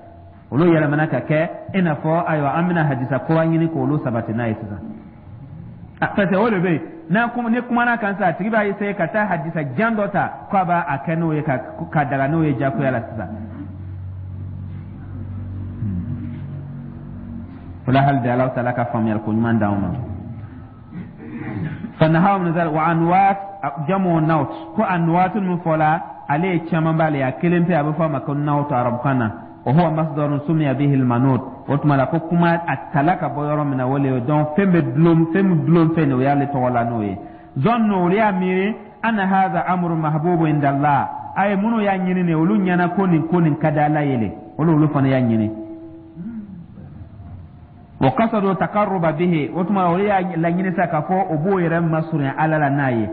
S1: olu yɛlɛmana ka kɛ i n'a fɔ, ayiwa, an bɛna hadisa kura ɲini k'olu sabati n'a ye sisan. Parce que o de bɛ yen, n'a ni kumana kan sisan, a tigi b'a essayer ka taa hadisa jan dɔ ta k'a b'a a kɛ n'o ye ka daga n'o ye jagoya la sisan. O la hali bi, Ala taala ka faamuyali ko ɲuman d'anw ma. Fanahaw min wa anwat jamu nawt, ko anwat min fɔla, ale ye caman b'ale, a kelen pe a bɛ fɔ a ma ko nawt arabukan na. Wa huwa masdarun sumiya bihi almanut, o tuma la ko kuma a tala ka bɔ yɔrɔ min na, o le ye. Donc fɛn bɛ dulon, fɛn min dulon fɛn o y'ale tɔgɔ la n'o ye. Zannu, olu y'a miiri anna hadha amru mahbubu inda Allah, a ye minnu y'a ɲini nin, olu ɲɛna ko nin ka di Ala ye le, olu fana y'a ɲini. Wa qasadu taqarruba bihi, o tuma olu y'a laɲini sa k'a fɔ o b'o yɛrɛ masurunya Ala la n'a ye,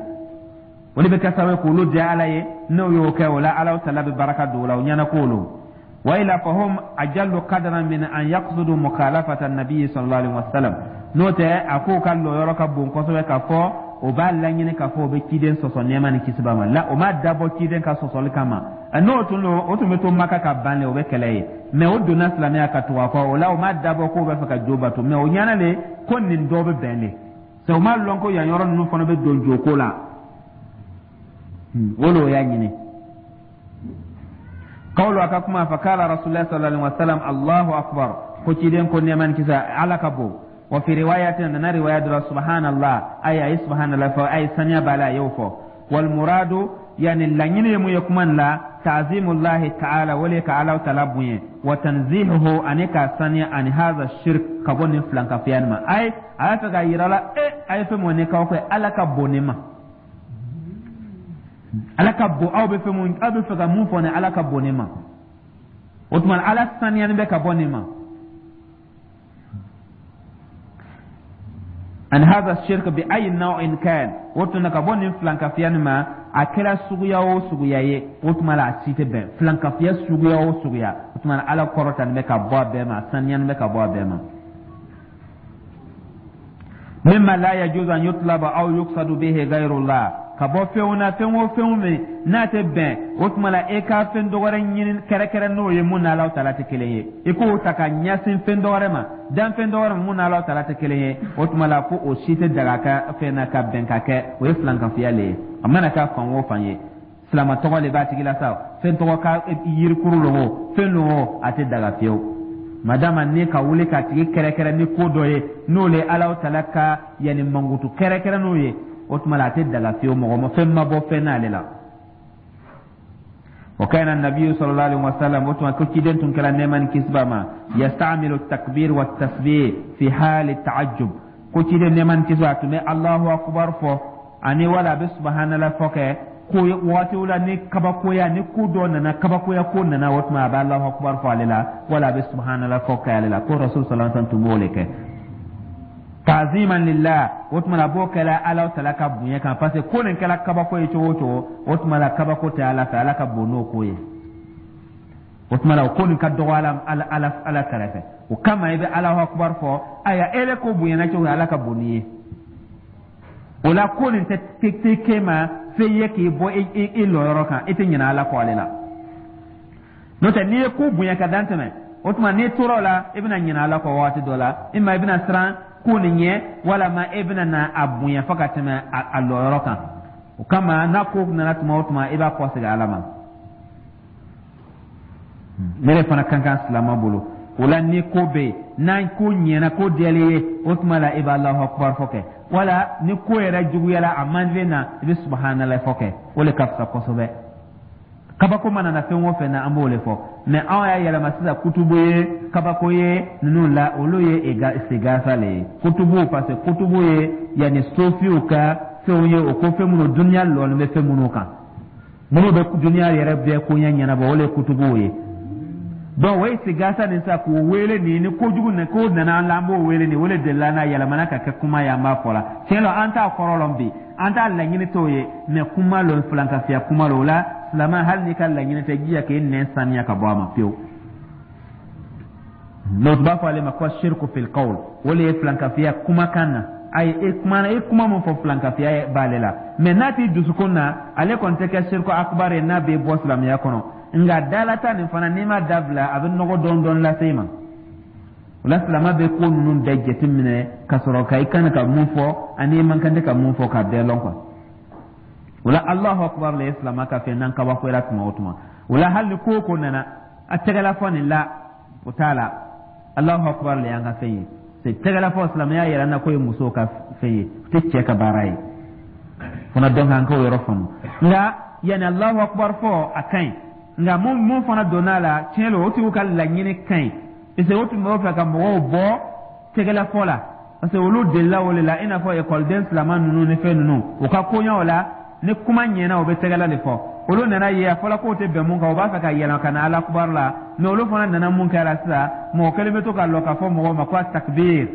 S1: olu bɛ kɛ sababu ye k'olu diya Ala ye. N'o y'o kɛ, o la Ala taala bɛ baraka don o la, o ɲɛna k'olu wa ila fahum ajallu qadran min an yaqsudu mukhalafata an-nabi sallallahu alaihi wasallam. N'o tɛ, a k'o ka lɔyɔrɔ ka bon kosɛbɛ k'a fɔ o b'a laɲini k'a fɔ o bɛ ciden sɔsɔ, nɛɛma ni kisi b'a ma la. O m'a dabɔ ciden ka sɔsɔli kama. N'o tun don, o tun bɛ to Maka ka ban le, o bɛ kɛlɛ ye. Mais o donna silamɛya ka tugu a kɔ, o la o m'a dabɔ k'o bɛ fɛ ka jo bato, mais o ɲɛna le ko nin dɔ bɛ bɛn le. C'est o m'a lɔn ko yan yɔrɔ ninnu fana bɛ don joko la, o le o y'a ɲini. Qawlu, a ka kuma, fa kala Rasulullah sallallahu alaihi wasallam: Allahu akbar. Ko ciden ko, nɛɛma ni kisi, Ala ka bon. Wa fi riwayatin, nana riwaya dɔ, subhanallah, ay ay subhanallah fɔ, ay saniya b'a la, a y'o fɔ. Wal muradu, yani laɲini ye mun ye kuma nin la? Ta'zimullahi ta'ala, wale ka Ala taala bonya, wa tanzihuhu, ani ka saniya, ani hadha shirk, ka bɔ nin filankafiya nin ma. Ay a y'a fɛ ka yira la e a ye fɛn mun ni k'aw kɛ, Ala ka bon nin ma, Ala ka bon. Aw bɛ fɛn mun, aw bɛ fɛ ka mun fɔ nin, Ala ka bon nin ma. O tuma Ala saniyani bɛ ka bɔ nin ma. An hadha shirk bi ayi naw'in kan, o tuma ka bɔ nin filankafiya nin ma, a kɛra suguya o suguya ye, o tuma la a si tɛ bɛn. Filankafiya suguya o suguya, o tuma Ala kɔrɔtani bɛ ka bɔ a bɛɛ ma, saniyani bɛ ka bɔ a bɛɛ ma. Mimma la yajuzu an yutlaba aw yuqsadu bihi ghayrullah, ka bɔ fɛnw na, fɛn o fɛnw min n'a tɛ bɛn, o tuma la e ka fɛn dɔ wɛrɛ ɲini kɛrɛkɛrɛ n'o ye mun n'Ala taala tɛ kelen ye, i k'o ta ka ɲɛsin fɛn dɔ wɛrɛ ma, danfɛn dɔ wɛrɛ ma mun n'Ala taala tɛ kelen ye, o tuma la ko o si tɛ daga ka fɛn na ka bɛn ka kɛ, o ye filankafoya le ye. A mana kɛ fan o fan ye, silama tɔgɔ le b'a tigi la sa, fɛn tɔgɔ ka yirikuru lo o, fɛn lo o, a tɛ daga fiyewu. Madama ni ka wuli k'a tigi kɛrɛkɛrɛ ni ko dɔ ye, n'o le Ala taala ka yanni mankutu kɛrɛkɛrɛ n'o ye, o tuma la a tɛ daga fiyewu. Mɔgɔ ma fɛn ma bɔ fɛn n'ale la. Wa kana nabiyu sallallahu alaihi wasallam, o tuma ko ciden tun kɛra, nɛɛma ni kisi b'a ma, yastamilu takbir wa tasbih fi hali ta'ajjub. Ko ciden, nɛɛma ni kisi, a tun bɛ Allahu akbar fɔ ani wala a bɛ subhanallah fɔ kɛ ko waatiw la ni kabakoya ni ko dɔ nana, kabakoya ko nana, o tuma a bɛ Allahu akbar fɔ ale la, wala a bɛ subhanallah fɔ kɛ ale la. Ko Rasul sallallahu alaihi wasallam tun b'o de kɛ ta'ziman lillah. O tuma la a b'o kɛla Ala taala ka bonya kan, parce que ko nin kɛla kabako ye cogo o cogo, o tuma la kabako tɛ Ala fɛ, Ala ka bon n'o ko ye. O tuma la o ko nin ka dɔgɔ Ala kɛrɛfɛ, o kama i bɛ Alahu akubar fɔ. Ayiwa, e bɛ ko bonyana cogo, Ala ka bon n'i ye. O la ko nin tɛ k'e ma fɛn ye k'i bɔ i lɔyɔrɔ kan, i tɛ ɲinɛ Ala kɔ ale la. N'o tɛ, n'i ye ko bonya ka dan tɛmɛ, o tuma n'i tora o la, i bɛna ɲinɛ Ala kɔ waati dɔ la, i ma i bɛna siran ko nin ɲɛ, walama e bɛna na a bonya fo ka tɛmɛ a lɔyɔrɔ kan. O kama n'a ko nana tuma o tuma, i b'a kɔsegin Ala ma. Ne de fana kan kan silama bolo. O la ni ko bɛ yen, n'an ko ɲɛna, ko diyalen ye, o tuma la i bɛ Alahu akubar fɔ kɛ, wala ni ko yɛrɛ juguyala, a man na, i bɛ subhanallah fɔ kɛ, o de ka fisa kosɛbɛ. Kabako mana na fɛn o fɛn na, an b'o le fɔ. Mais anw y'a yɛlɛma sisan kutubu ye, kabako ye ninnu la, olu ye istigasa le ye, kutubu, parce que kutubu ye yanni sofiw ka fɛnw ye, o ko fɛn minnu duniya lɔlen bɛ fɛn minnu kan, minnu bɛ duniya yɛrɛ bɛɛ koɲɛ ɲɛnabɔ, o le ye kutubuw ye. Donc o ye istigasa nin sa k'o wele nin ni kojugu nin ko nana an la, an b'o wele nin, o le delila n'a yɛlɛmana ka kɛ kuma ye, an b'a fɔ la. Tiɲɛ la, an t'a kɔrɔ lɔn bi, an t'a laɲini t'o ye, mais kuma lo, filankafiya kuma lo. O la, silama, hali n'i ka laɲini tɛ, jija k'e nɛn saniya ka bɔ a ma pewu. N'o b'a fɔ ale ma ko shirku fil qawl, o le ye filankafiya kumakan na. Ayi, e kuma e kuma min fɔ, filankafiya b'ale la, mais n'a t'i dusukun na, ale kɔni tɛ kɛ shirku akbar ye n'a bɛ bɔ silamɛya kɔnɔ. Nka dalata nin fana, n'i ma dabila, a bɛ nɔgɔ dɔɔni dɔɔni lase i ma. O la, silama bɛ ko ninnu bɛɛ jateminɛ ka sɔrɔ ka i kan ka mun fɔ ani i man kan tɛ ka mun fɔ, k'a bɛɛ lɔn quoi. O la, Alahu akubar le ye silama ka fɛn n'an kabakoyara tuma o tuma. O la, hali ni ko o ko nana, a tɛgɛla fɔ nin la, o t'a la, Alahu akubar le y'an ka fɛn ye. Tɛgɛla fɔ, silamɛya yɛrɛ na k'o ye musow ka fɛn ye, o tɛ cɛ ka baara ye fana. Donc an k'o yɔrɔ faamu. Nka yanni Alahu akubar fɔ, a ka ɲi. Nka mun fana donna a la, tiɲɛ don, o tigiw ka laɲini ka ɲi, parce que o tun b'o fɛ ka mɔgɔw bɔ tɛgɛlafɔ la, parce que olu delila o de la, i n'a fɔ ekɔliden silama ninnu ni fɛn ninnu, u ka koɲɛw la, ni kuma ɲɛna, u bɛ tɛgɛla de fɔ. Olu nana ye a fɔla k'o tɛ bɛn mun kan, u b'a fɛ ka yɛlɛma ka na alakubar la. Mais olu fana nana mun kɛ la sisan? Mɔgɔ kelen bɛ to ka lɔ k'a fɔ mɔgɔw ma ko a takbir,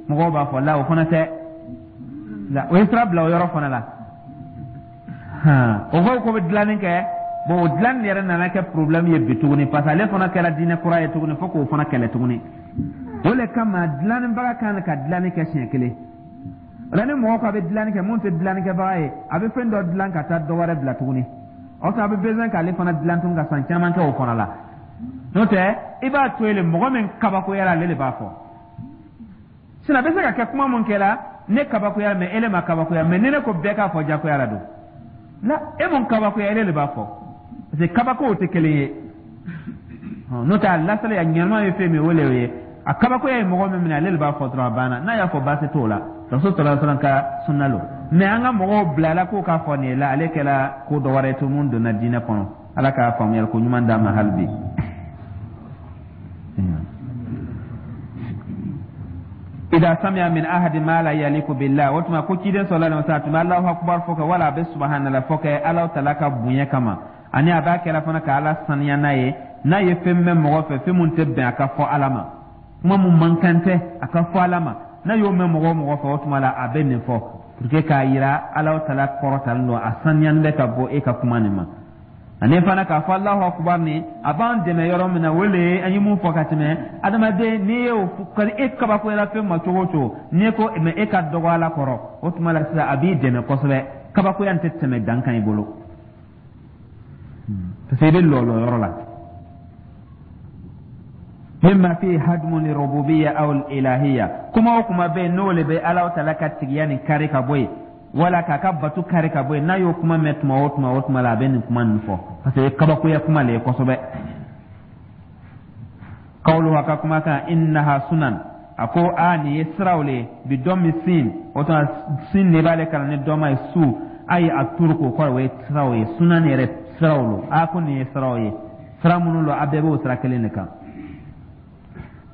S1: mɔgɔw b'a fɔ la, o fana tɛ la, o ye sira bila o yɔrɔ fana la. O ko bɛ dilanni kɛ. Bon, o dilanni yɛrɛ nana kɛ problème ye bi tuguni, parce que ale fana kɛra diinɛ kura ye tuguni, fo k'o fana kɛlɛ tuguni. O le kama dilannibaga kan ka dilanni kɛ siɲɛ kelen. O la, ni mɔgɔ ko a bɛ dilanni kɛ, mun tɛ dilannikɛbaga ye, a bɛ fɛn dɔ dilan ka taa dɔ wɛrɛ bila tuguni. O a bɛ besoin k'ale fana dilan tuguni ka san caman kɛ o fana la. N'o tɛ, i b'a to yen le, mɔgɔ min kabakoyara, ale de b'a fɔ. Sinon a bɛ se ka kɛ kuma mun kɛra, ne kabakoya, mais ele ma kabakoya. Mais ni ne ko bɛɛ k'a fɔ, jagoya la don la, e mun kabakoya, ele de b'a fɔ, parce que kabakow tɛ kelen ye. N'o tɛ, a lasali a ɲɛnama ye fɛn min, o le ye a kabakoya ye mɔgɔ min minɛ, ale de b'a fɔ dɔrɔn, a banna. N'a y'a fɔ, baasi t'o la, rasul sallallahu alaihi wasallam ka sunna lo. Mais an ka mɔgɔw bilala k'o k'a fɔ nin ye la, ale kɛra ko dɔ wɛrɛ ye to mun donna diinɛ kɔnɔ. Ala k'a faamuyali ko ɲuman d'an ma hali bi. Ida sami'a min ahadi ma la yaliku billah, o tuma ko ciden sallallahu alaihi wasallam tun bɛ Alahu akubar fɔ kɛ, wala a bɛ subhanallah fɔ kɛ Alahu taala ka bonya kama, ani a b'a kɛra fana ka Ala saniya n'a ye, n'a ye fɛn mɛn mɔgɔ fɛ, fɛn mun tɛ bɛn a ka fɔ Ala ma, kuma mun man kan tɛ a ka fɔ Ala ma, n'a y'o mɛn mɔgɔ o mɔgɔ fɛ, o tuma la a bɛ nin fɔ pour que k'a yira Alahu taala kɔrɔtalen don, a saniyalen bɛ ka bɔ e ka kuma nin ma. Ani fana k'a fɔ Alahu akubar nin, a b'an dɛmɛ yɔrɔ min na, o le ye an ye mun fɔ ka tɛmɛ. Adamaden, n'i ye o ka e kabakoyara fɛn ma cogo o cogo, n'i ko mais e ka dɔgɔ Ala kɔrɔ, o tuma la sisan a b'i dɛmɛ kosɛbɛ, kabakoya nin tɛ tɛmɛ dan kan i bolo, parce que i bɛ lɔlɔ yɔrɔ la. Mimma fi hadmu li rububiyya aw ilahiyya, kuma o kuma bɛ yen, n'o le bɛ Ala taala ka tigiya nin kari ka bɔ yen, wala k'a ka batu kari ka bɔ yen, n'a y'o kuma mɛn tuma o tuma, o tuma la a bɛ nin kuma nin fɔ, parce que kabakoya kuma le ye kosɛbɛ. Kawulu, a ka kumakan, innaha sunan, a ko a nin ye siraw le ye, bi dɔmmi sin, o tuma sin de b'ale kalan ni dɔma ye, su ayi a turuku, o kɔrɔ o ye siraw ye, sunan yɛrɛ siraw lo. A ko nin ye siraw ye, sira minnu lo, a bɛɛ b'o sira kelen de kan.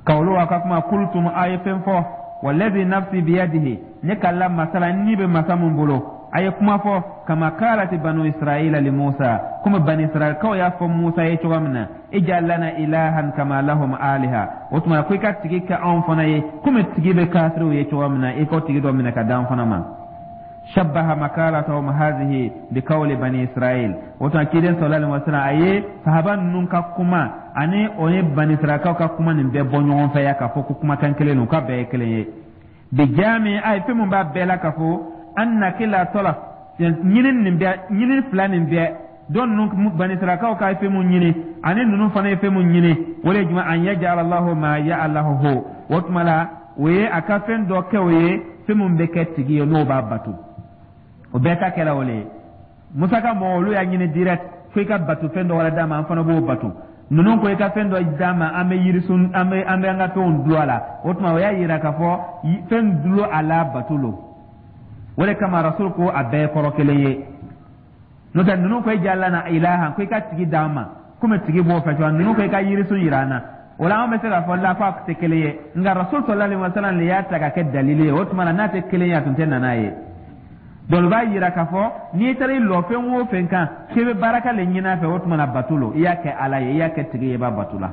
S1: Kawulu, a ka kuma, kultum, a ye fɛn fɔ, walladhi nafsi biyadihi, ne kalila masa la ni bɛ masa mun bolo, a ye kuma fɔ, kama kalati banu israila li Musa, komi bani israilkaw y'a fɔ Musa ye cogo min na, ij'al lana ilahan kama lahum aliha, o tuma ko i ka tigi kɛ anw fana ye komi tigi bɛ kafiriw ye cogo min na, i k'o tigi dɔ minɛ ka d'an fana ma. Shabbaha makalatahum hadhihi biqawli bani Israil, o tuma ciden sallallahu alaihi wasallam a ye sahaba ninnu ka kuma ani o ye bani Israilkaw ka kuma nin bɛɛ bɔ ɲɔgɔn fɛ ya, k'a fɔ ko kumakan kelen don, k'a bɛɛ ye kelen ye. Bijami, a ye fɛn mun b'a bɛɛ la k'a fɔ anna kila talab, ɲini nin bɛɛ, ɲini fila nin bɛɛ dɔn ninnu, bani Israilkaw ka fɛn mun ɲini ani ninnu fana ye fɛn mun ɲini, o de ye jumɛn? An yaj'ala Allahu ma ya'lahu, o tuma la o ye a ka fɛn dɔ kɛ o ye fɛn mun bɛ kɛ tigi ye n'o b'a bato. O bɛɛ ta kɛra o le ye. Musa ka mɔgɔw, olu y'a ɲini direct fo i ka bato fɛn dɔ wɛrɛ d'a ma, an fana b'o bato. Ninnu ko i ka fɛn dɔ d'a ma, an bɛ yirisun, an bɛ an ka fɛnw dulon a la. O tuma o y'a yira k'a fɔ fɛn dulon a la bato lo. O de kama rasul ko a bɛɛ ye kɔrɔ kelen ye.
S2: N'o tɛ, ninnu ko ij'al lana ilahan, ko i ka tigi d'an ma, komi tigi b'o fɛ cogoya, ninnu ko i ka yirisun yira an na. O la, an bɛ se k'a fɔ la ko a tɛ kelen ye, nka Rasul sallallahu alaihi wa sallam de y'a ta ka kɛ dalili ye. O tuma na, n'a tɛ kelen ye, a tun tɛ na n'a ye. Donc o b'a yira k'a fɔ n'i taara i lɔ fɛn o fɛn kan k'i bɛ baraka le ɲini a fɛ, o tuma na bato lo, i y'a kɛ Ala ye, i y'a kɛ tigi ye, i b'a bato la.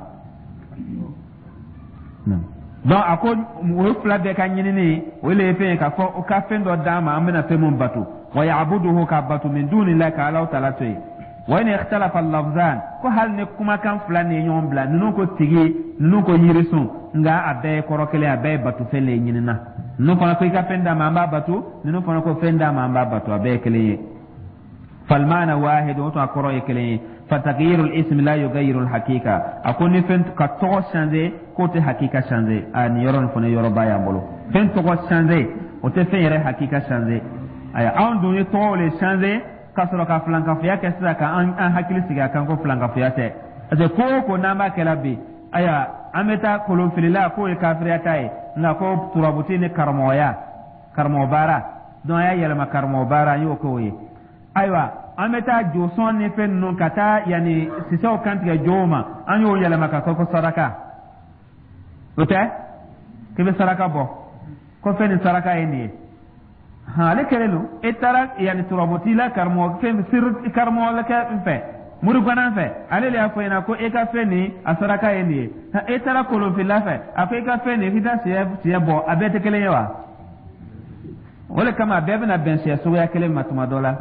S2: Donc a ko o fila bɛɛ ka ɲinini, o le ye fɛn ye k'a fɔ o ka fɛn dɔ d'an ma, an bɛna fɛn mun bato, wa ya'buduhu, k'a bato, min dunillahi, ka Alahu taala to yen. Wa in ikhtalafa lafzan, ko hali ni kumakan fila ni ye ɲɔgɔn bila, ninnu ko tigi, ninnu ko yirisun, nka a bɛɛ ye kɔrɔ kelen, a bɛɛ ye batofɛn le ɲinina. Ninnu fana ko i ka fɛn d'a ma, an b'a bato. Ninnu fana ko fɛn d'a ma, an b'a bato. A bɛɛ ye kelen ye. Falmaana wahid, o tun a kɔrɔ ye kelen ye. Fatagyiru ismi la yugayiru hakika. A ko ni fɛn ka tɔgɔ changer, k'o tɛ hakika changer. A nin yɔrɔ nin fana yɔrɔba y'an bolo. Fɛn tɔgɔ changer, o tɛ fɛn yɛrɛ hakika changer. Ayiwa, anw dun ye tɔgɔw le changer ka sɔrɔ ka filankafoya kɛ sisan, ka an hakili sigi a kan ko filankafoya tɛ, parce que ko o ko n'an b'a kɛla bi, ayiwa, an bɛ taa kolonfilila k'o ye kafiriya ta ye, nka ko turabuti ni karamɔgɔya, karamɔgɔ baara, donc an y'a yɛlɛma karamɔgɔ baara, an y'o k'o ye. Ayiwa, an bɛ taa josɔn ni fɛn ninnu ka taa yanni sisɛw kantigɛ jow ma, an y'o yɛlɛma ka kɛ ko saraka. O tɛ k'i bɛ saraka bɔ ko fɛn ni saraka ye nin ye. Han, ale kɛlen don. E taara yanni turabuti la, karamɔgɔ fɛn siri karamɔgɔkɛ fɛ, murugana fɛ, ale de y'a fɔ ɲɛna ko e ka fɛn nin, a saraka ye nin ye. E taara kolonfila fɛ, a ko e ka fɛn nin, k'i taa siyɛ bɔ. A bɛɛ tɛ kelen ye wa? O de kama a bɛɛ bɛna bɛn siyɛ suguya kelen ma tuma dɔ la: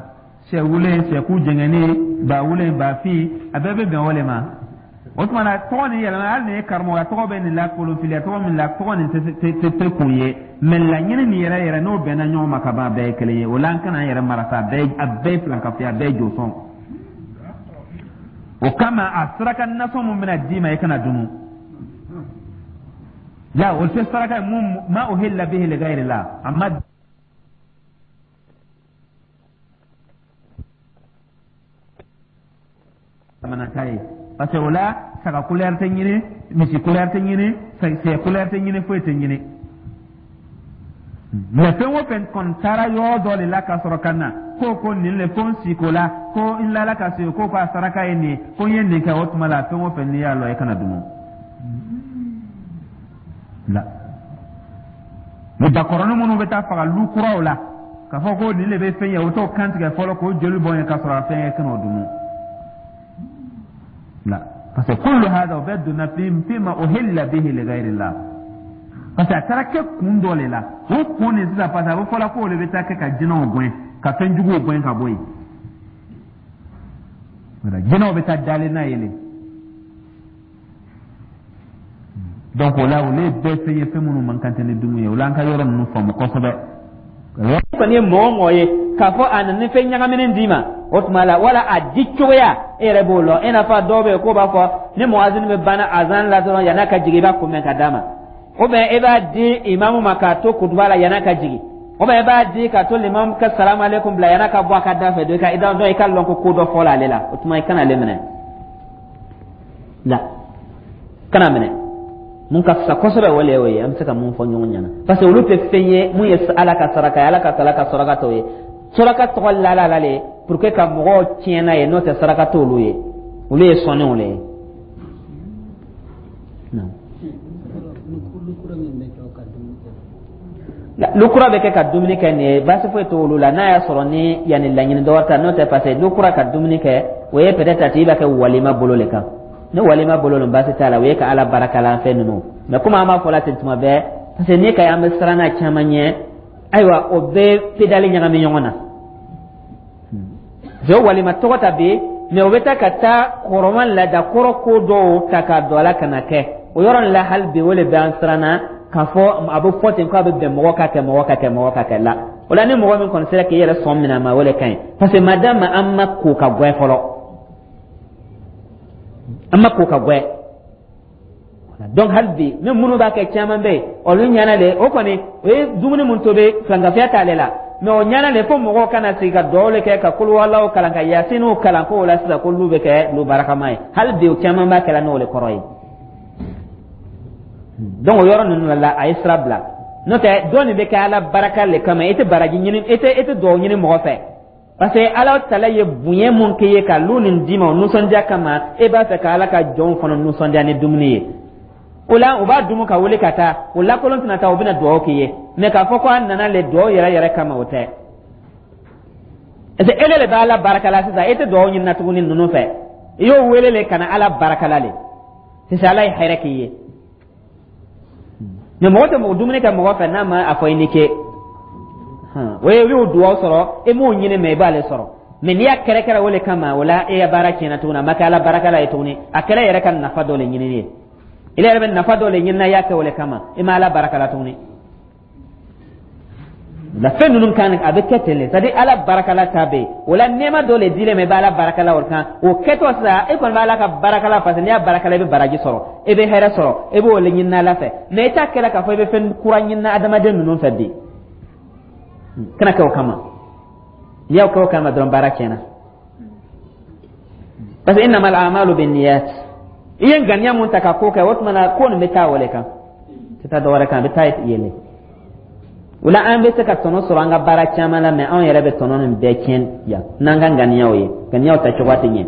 S2: sɛ wulen, sɛku jɛngɛnnen, ba wulen, ba fin, a bɛɛ bɛ bɛn o de ma. O tuma na, tɔgɔ nin yɛlɛma, hali nin ye karamɔgɔya tɔgɔ bɛ nin la, kolonfiliya tɔgɔ min la, tɔgɔ nin tɛ kun ye, mɛ laɲini nin yɛrɛ yɛrɛ, n'o bɛnna ɲɔgɔn ma ka ban, a bɛɛ ye kelen ye. O la, an kana an yɛrɛ mara sa. A bɛɛ ye filankafoya, a bɛɛ ye josɔn. O kama, a saraka nasɔn mun bɛna d'i ma, i kana dumu la. O tɛ saraka ye mun ma uhilla bihi li ghayri la, a ma ta ye, parce que o la, saga couleur tɛ ɲini, misi couleur tɛ ɲini, sɛ couleur tɛ ɲini, foyi tɛ ɲini. Mɛ fɛn o fɛn kɔni taara yɔrɔ dɔ de la ka sɔrɔ ka na ko nin le, ko n si ko la, ko n lala ka se ko a saraka ye nin ye, ko n ye nin kɛ, o tuma la, fɛn o fɛn n'i y'a lɔ, i kana dumu la. Ni bakɔrɔnin minnu bɛ taa faga lu kuraw la, k'a fɔ ko nin de bɛ fɛn ye, o t'o kan tigɛ fɔlɔ k'o joli bɔn ye ka sɔrɔ a fɛn ye, kan'o dumu la, parce que kullu hada, o bɛɛ donna fi ma uhilla bihi li ghayrillah, parce que a taara kɛ kun dɔ de la. O kun nin sisan, parce que a bɛ fɔla k'o de bɛ taa kɛ ka jinɛw gɛn, ka fɛn juguw gɛn ka bɔ yen. Jinɛw bɛ taa dalen n'a ye le. Donc o la, olu ye bɛɛ fɛn ye, fɛn minnu man kan tɛ ni dumu ye. O la, an ka yɔrɔ ninnu faamu kosɛbɛ.
S1: Kɔni ye mɔgɔ o mɔgɔ ye k'a fɔ a nana ni fɛn ɲagaminen d'i ma, o tuma la, wala a di cogoya, e yɛrɛ b'o lɔn. I n'a fɔ dɔw bɛ yen k'o b'a fɔ ni muwazini bɛ banna azan la dɔrɔn, yann'a ka jigin, i b'a kunbɛn ka d'a ma, ou bien e b'a di imamu ma k'a to kutuba la yann'a ka jigin, ou bien e b'a di k'a to limamu ka salamu aleykum bila yann'a ka bɔ a ka da fɛ. Dɔn i ka lɔn ko ko dɔ fɔla ale la, o tuma i kana ale minɛ la, kana minɛ. Mun ka fisa kosɛbɛ, o le y'o ye an bɛ se ka mun fɔ ɲɔgɔn ɲɛna, parce que olu tɛ fɛn ye mun ye Ala ka saraka ye. Ala ka ala ka saraka t'o ye. Saraka tɔgɔ lala la le pour que ka mɔgɔw tiɲɛ n'a ye, n'o tɛ saraka t'olu ye, olu ye sɔnniw le ye. Lukura bɛ kɛ ka dumuni kɛ nin ye, baasi foyi t'olu la, n'a y'a sɔrɔ ni yanni laɲini dɔ wɛrɛ ta. N'o tɛ, parce que lukura ka dumuni kɛ, o ye peut-être a tigi b'a kɛ walima bolo le kan. Ni walima bolo lo, baasi t'a la, o ye ka Ala barakalan fɛn ninnu. Mais komi an b'a fɔ la ten tuma bɛɛ, parce que n'i ka an bɛ siran n'a caman ɲɛ, ayiwa, o bɛɛ pédale ɲagami ɲɔgɔn na. Parce que walima tɔgɔ ta bi, mais o bɛ taa ka taa kɔrɔma laada kɔrɔ ko dɔw ta k'a don a la ka na kɛ o yɔrɔ nin la. Hali bi, o le bɛ an siran na k'a fɔ a bɛ fɔ ten k'a bɛ bɛn mɔgɔ ka kɛ, mɔgɔ ka kɛ, mɔgɔ ka kɛ la. O la, ni mɔgɔ min kɔni sera k'i yɛrɛ sɔn minɛ a ma, o le ka ɲi, parce que madama an ma ko ka gwɛ fɔlɔ, an ma ko ka gwɛ. Donc hali bi, ni minnu b'a kɛ, caman bɛ yen, olu ɲɛna de. O kɔni, o ye dumuni mun tobi, filankafoya t'ale la, mais o ɲɛna de fo mɔgɔw kana sigi ka dugawu le kɛ, ka kuluwalaw kalan, ka yasiniw kalan, k'o la sisan k'olu bɛ kɛ lu barakama ye. Hali bi, o caman b'a kɛla n'o le kɔrɔ ye. Donc o yɔrɔ ninnu la, a ye sira bila. N'o tɛ, dɔ nin bɛ kɛ Ala baraka le kama. I tɛ baraji ɲini, e tɛ dugawu ɲini mɔgɔ fɛ. Parce que Ala tala ye bonya mun kɛ ye ka lu nin d'i ma o nisɔndiya kama, e b'a fɛ ka Ala ka jɔnw fana nisɔndiya ni dumuni ye. O la, u b'a dumu ka wuli ka taa, o lakolon tɛna taa, u bɛna dugawu k'i ye. Mais k'a fɔ ko a nana le dugawu yɛrɛ yɛrɛ kama, o tɛ. Parce que ele le bɛ Ala barika la sisan, e tɛ dugawu ɲinina tuguni ninnu fɛ. I y'o wele le ka na Ala barika la le. Sisan Ala ye hɛrɛ k'i ye. Mais mɔgɔ tɛ mɔgɔ dumuni kɛ mɔgɔ fɛ n'a ma a fɔ i ni ce. O ye i y'o dugawu sɔrɔ, e m'o ɲini, mais i b'ale sɔrɔ. Mais n'i y'a kɛrɛkɛrɛ o le kama, o la e ya baara tiɲɛna tuguni, a ma kɛ Ala barika la ye tuguni, a kɛra yɛrɛ ka nafa dɔ le ɲinini ye. I yɛrɛ bɛ nafa dɔ le ɲinina, i y'a kɛ o le kama, i ma Ala barika la tuguni. La fɛn ninnu kan, a bɛ kɛ ten le. C'est à dire, Ala barakala ta bɛ yen, o la nɛɛma dɔ le dilen ma, i bɛ Ala barakala o kan. O kɛtɔ sisan, e kɔni bɛ Ala ka barakala, parce que n'i y'a barakala, i bɛ baraji sɔrɔ, i bɛ hɛrɛ sɔrɔ, i b'o le ɲinina Ala fɛ. Mais i t'a kɛla k'a fɔ i bɛ fɛn kura ɲinina adamaden ninnu fɛ bi. Kana kɛ o kama. N'i y'o kɛ o kama dɔrɔn, baara tiɲɛna. Parce que innamal a'malu binniyat. I ye ŋaniya mun ta ka ko kɛ, o tuma na ko nin bɛ taa o le kan, tɛ taa dɔ wɛrɛ kan, a bɛ taa yen le. O la, an bɛ se ka tɔnɔ sɔrɔ an ka baara caman la, mais anw yɛrɛ bɛ tɔnɔ nin bɛɛ tiɲɛ yan n'an ka ŋaniyaw ye. Ŋaniyaw ta cogoya tɛ ɲɛ.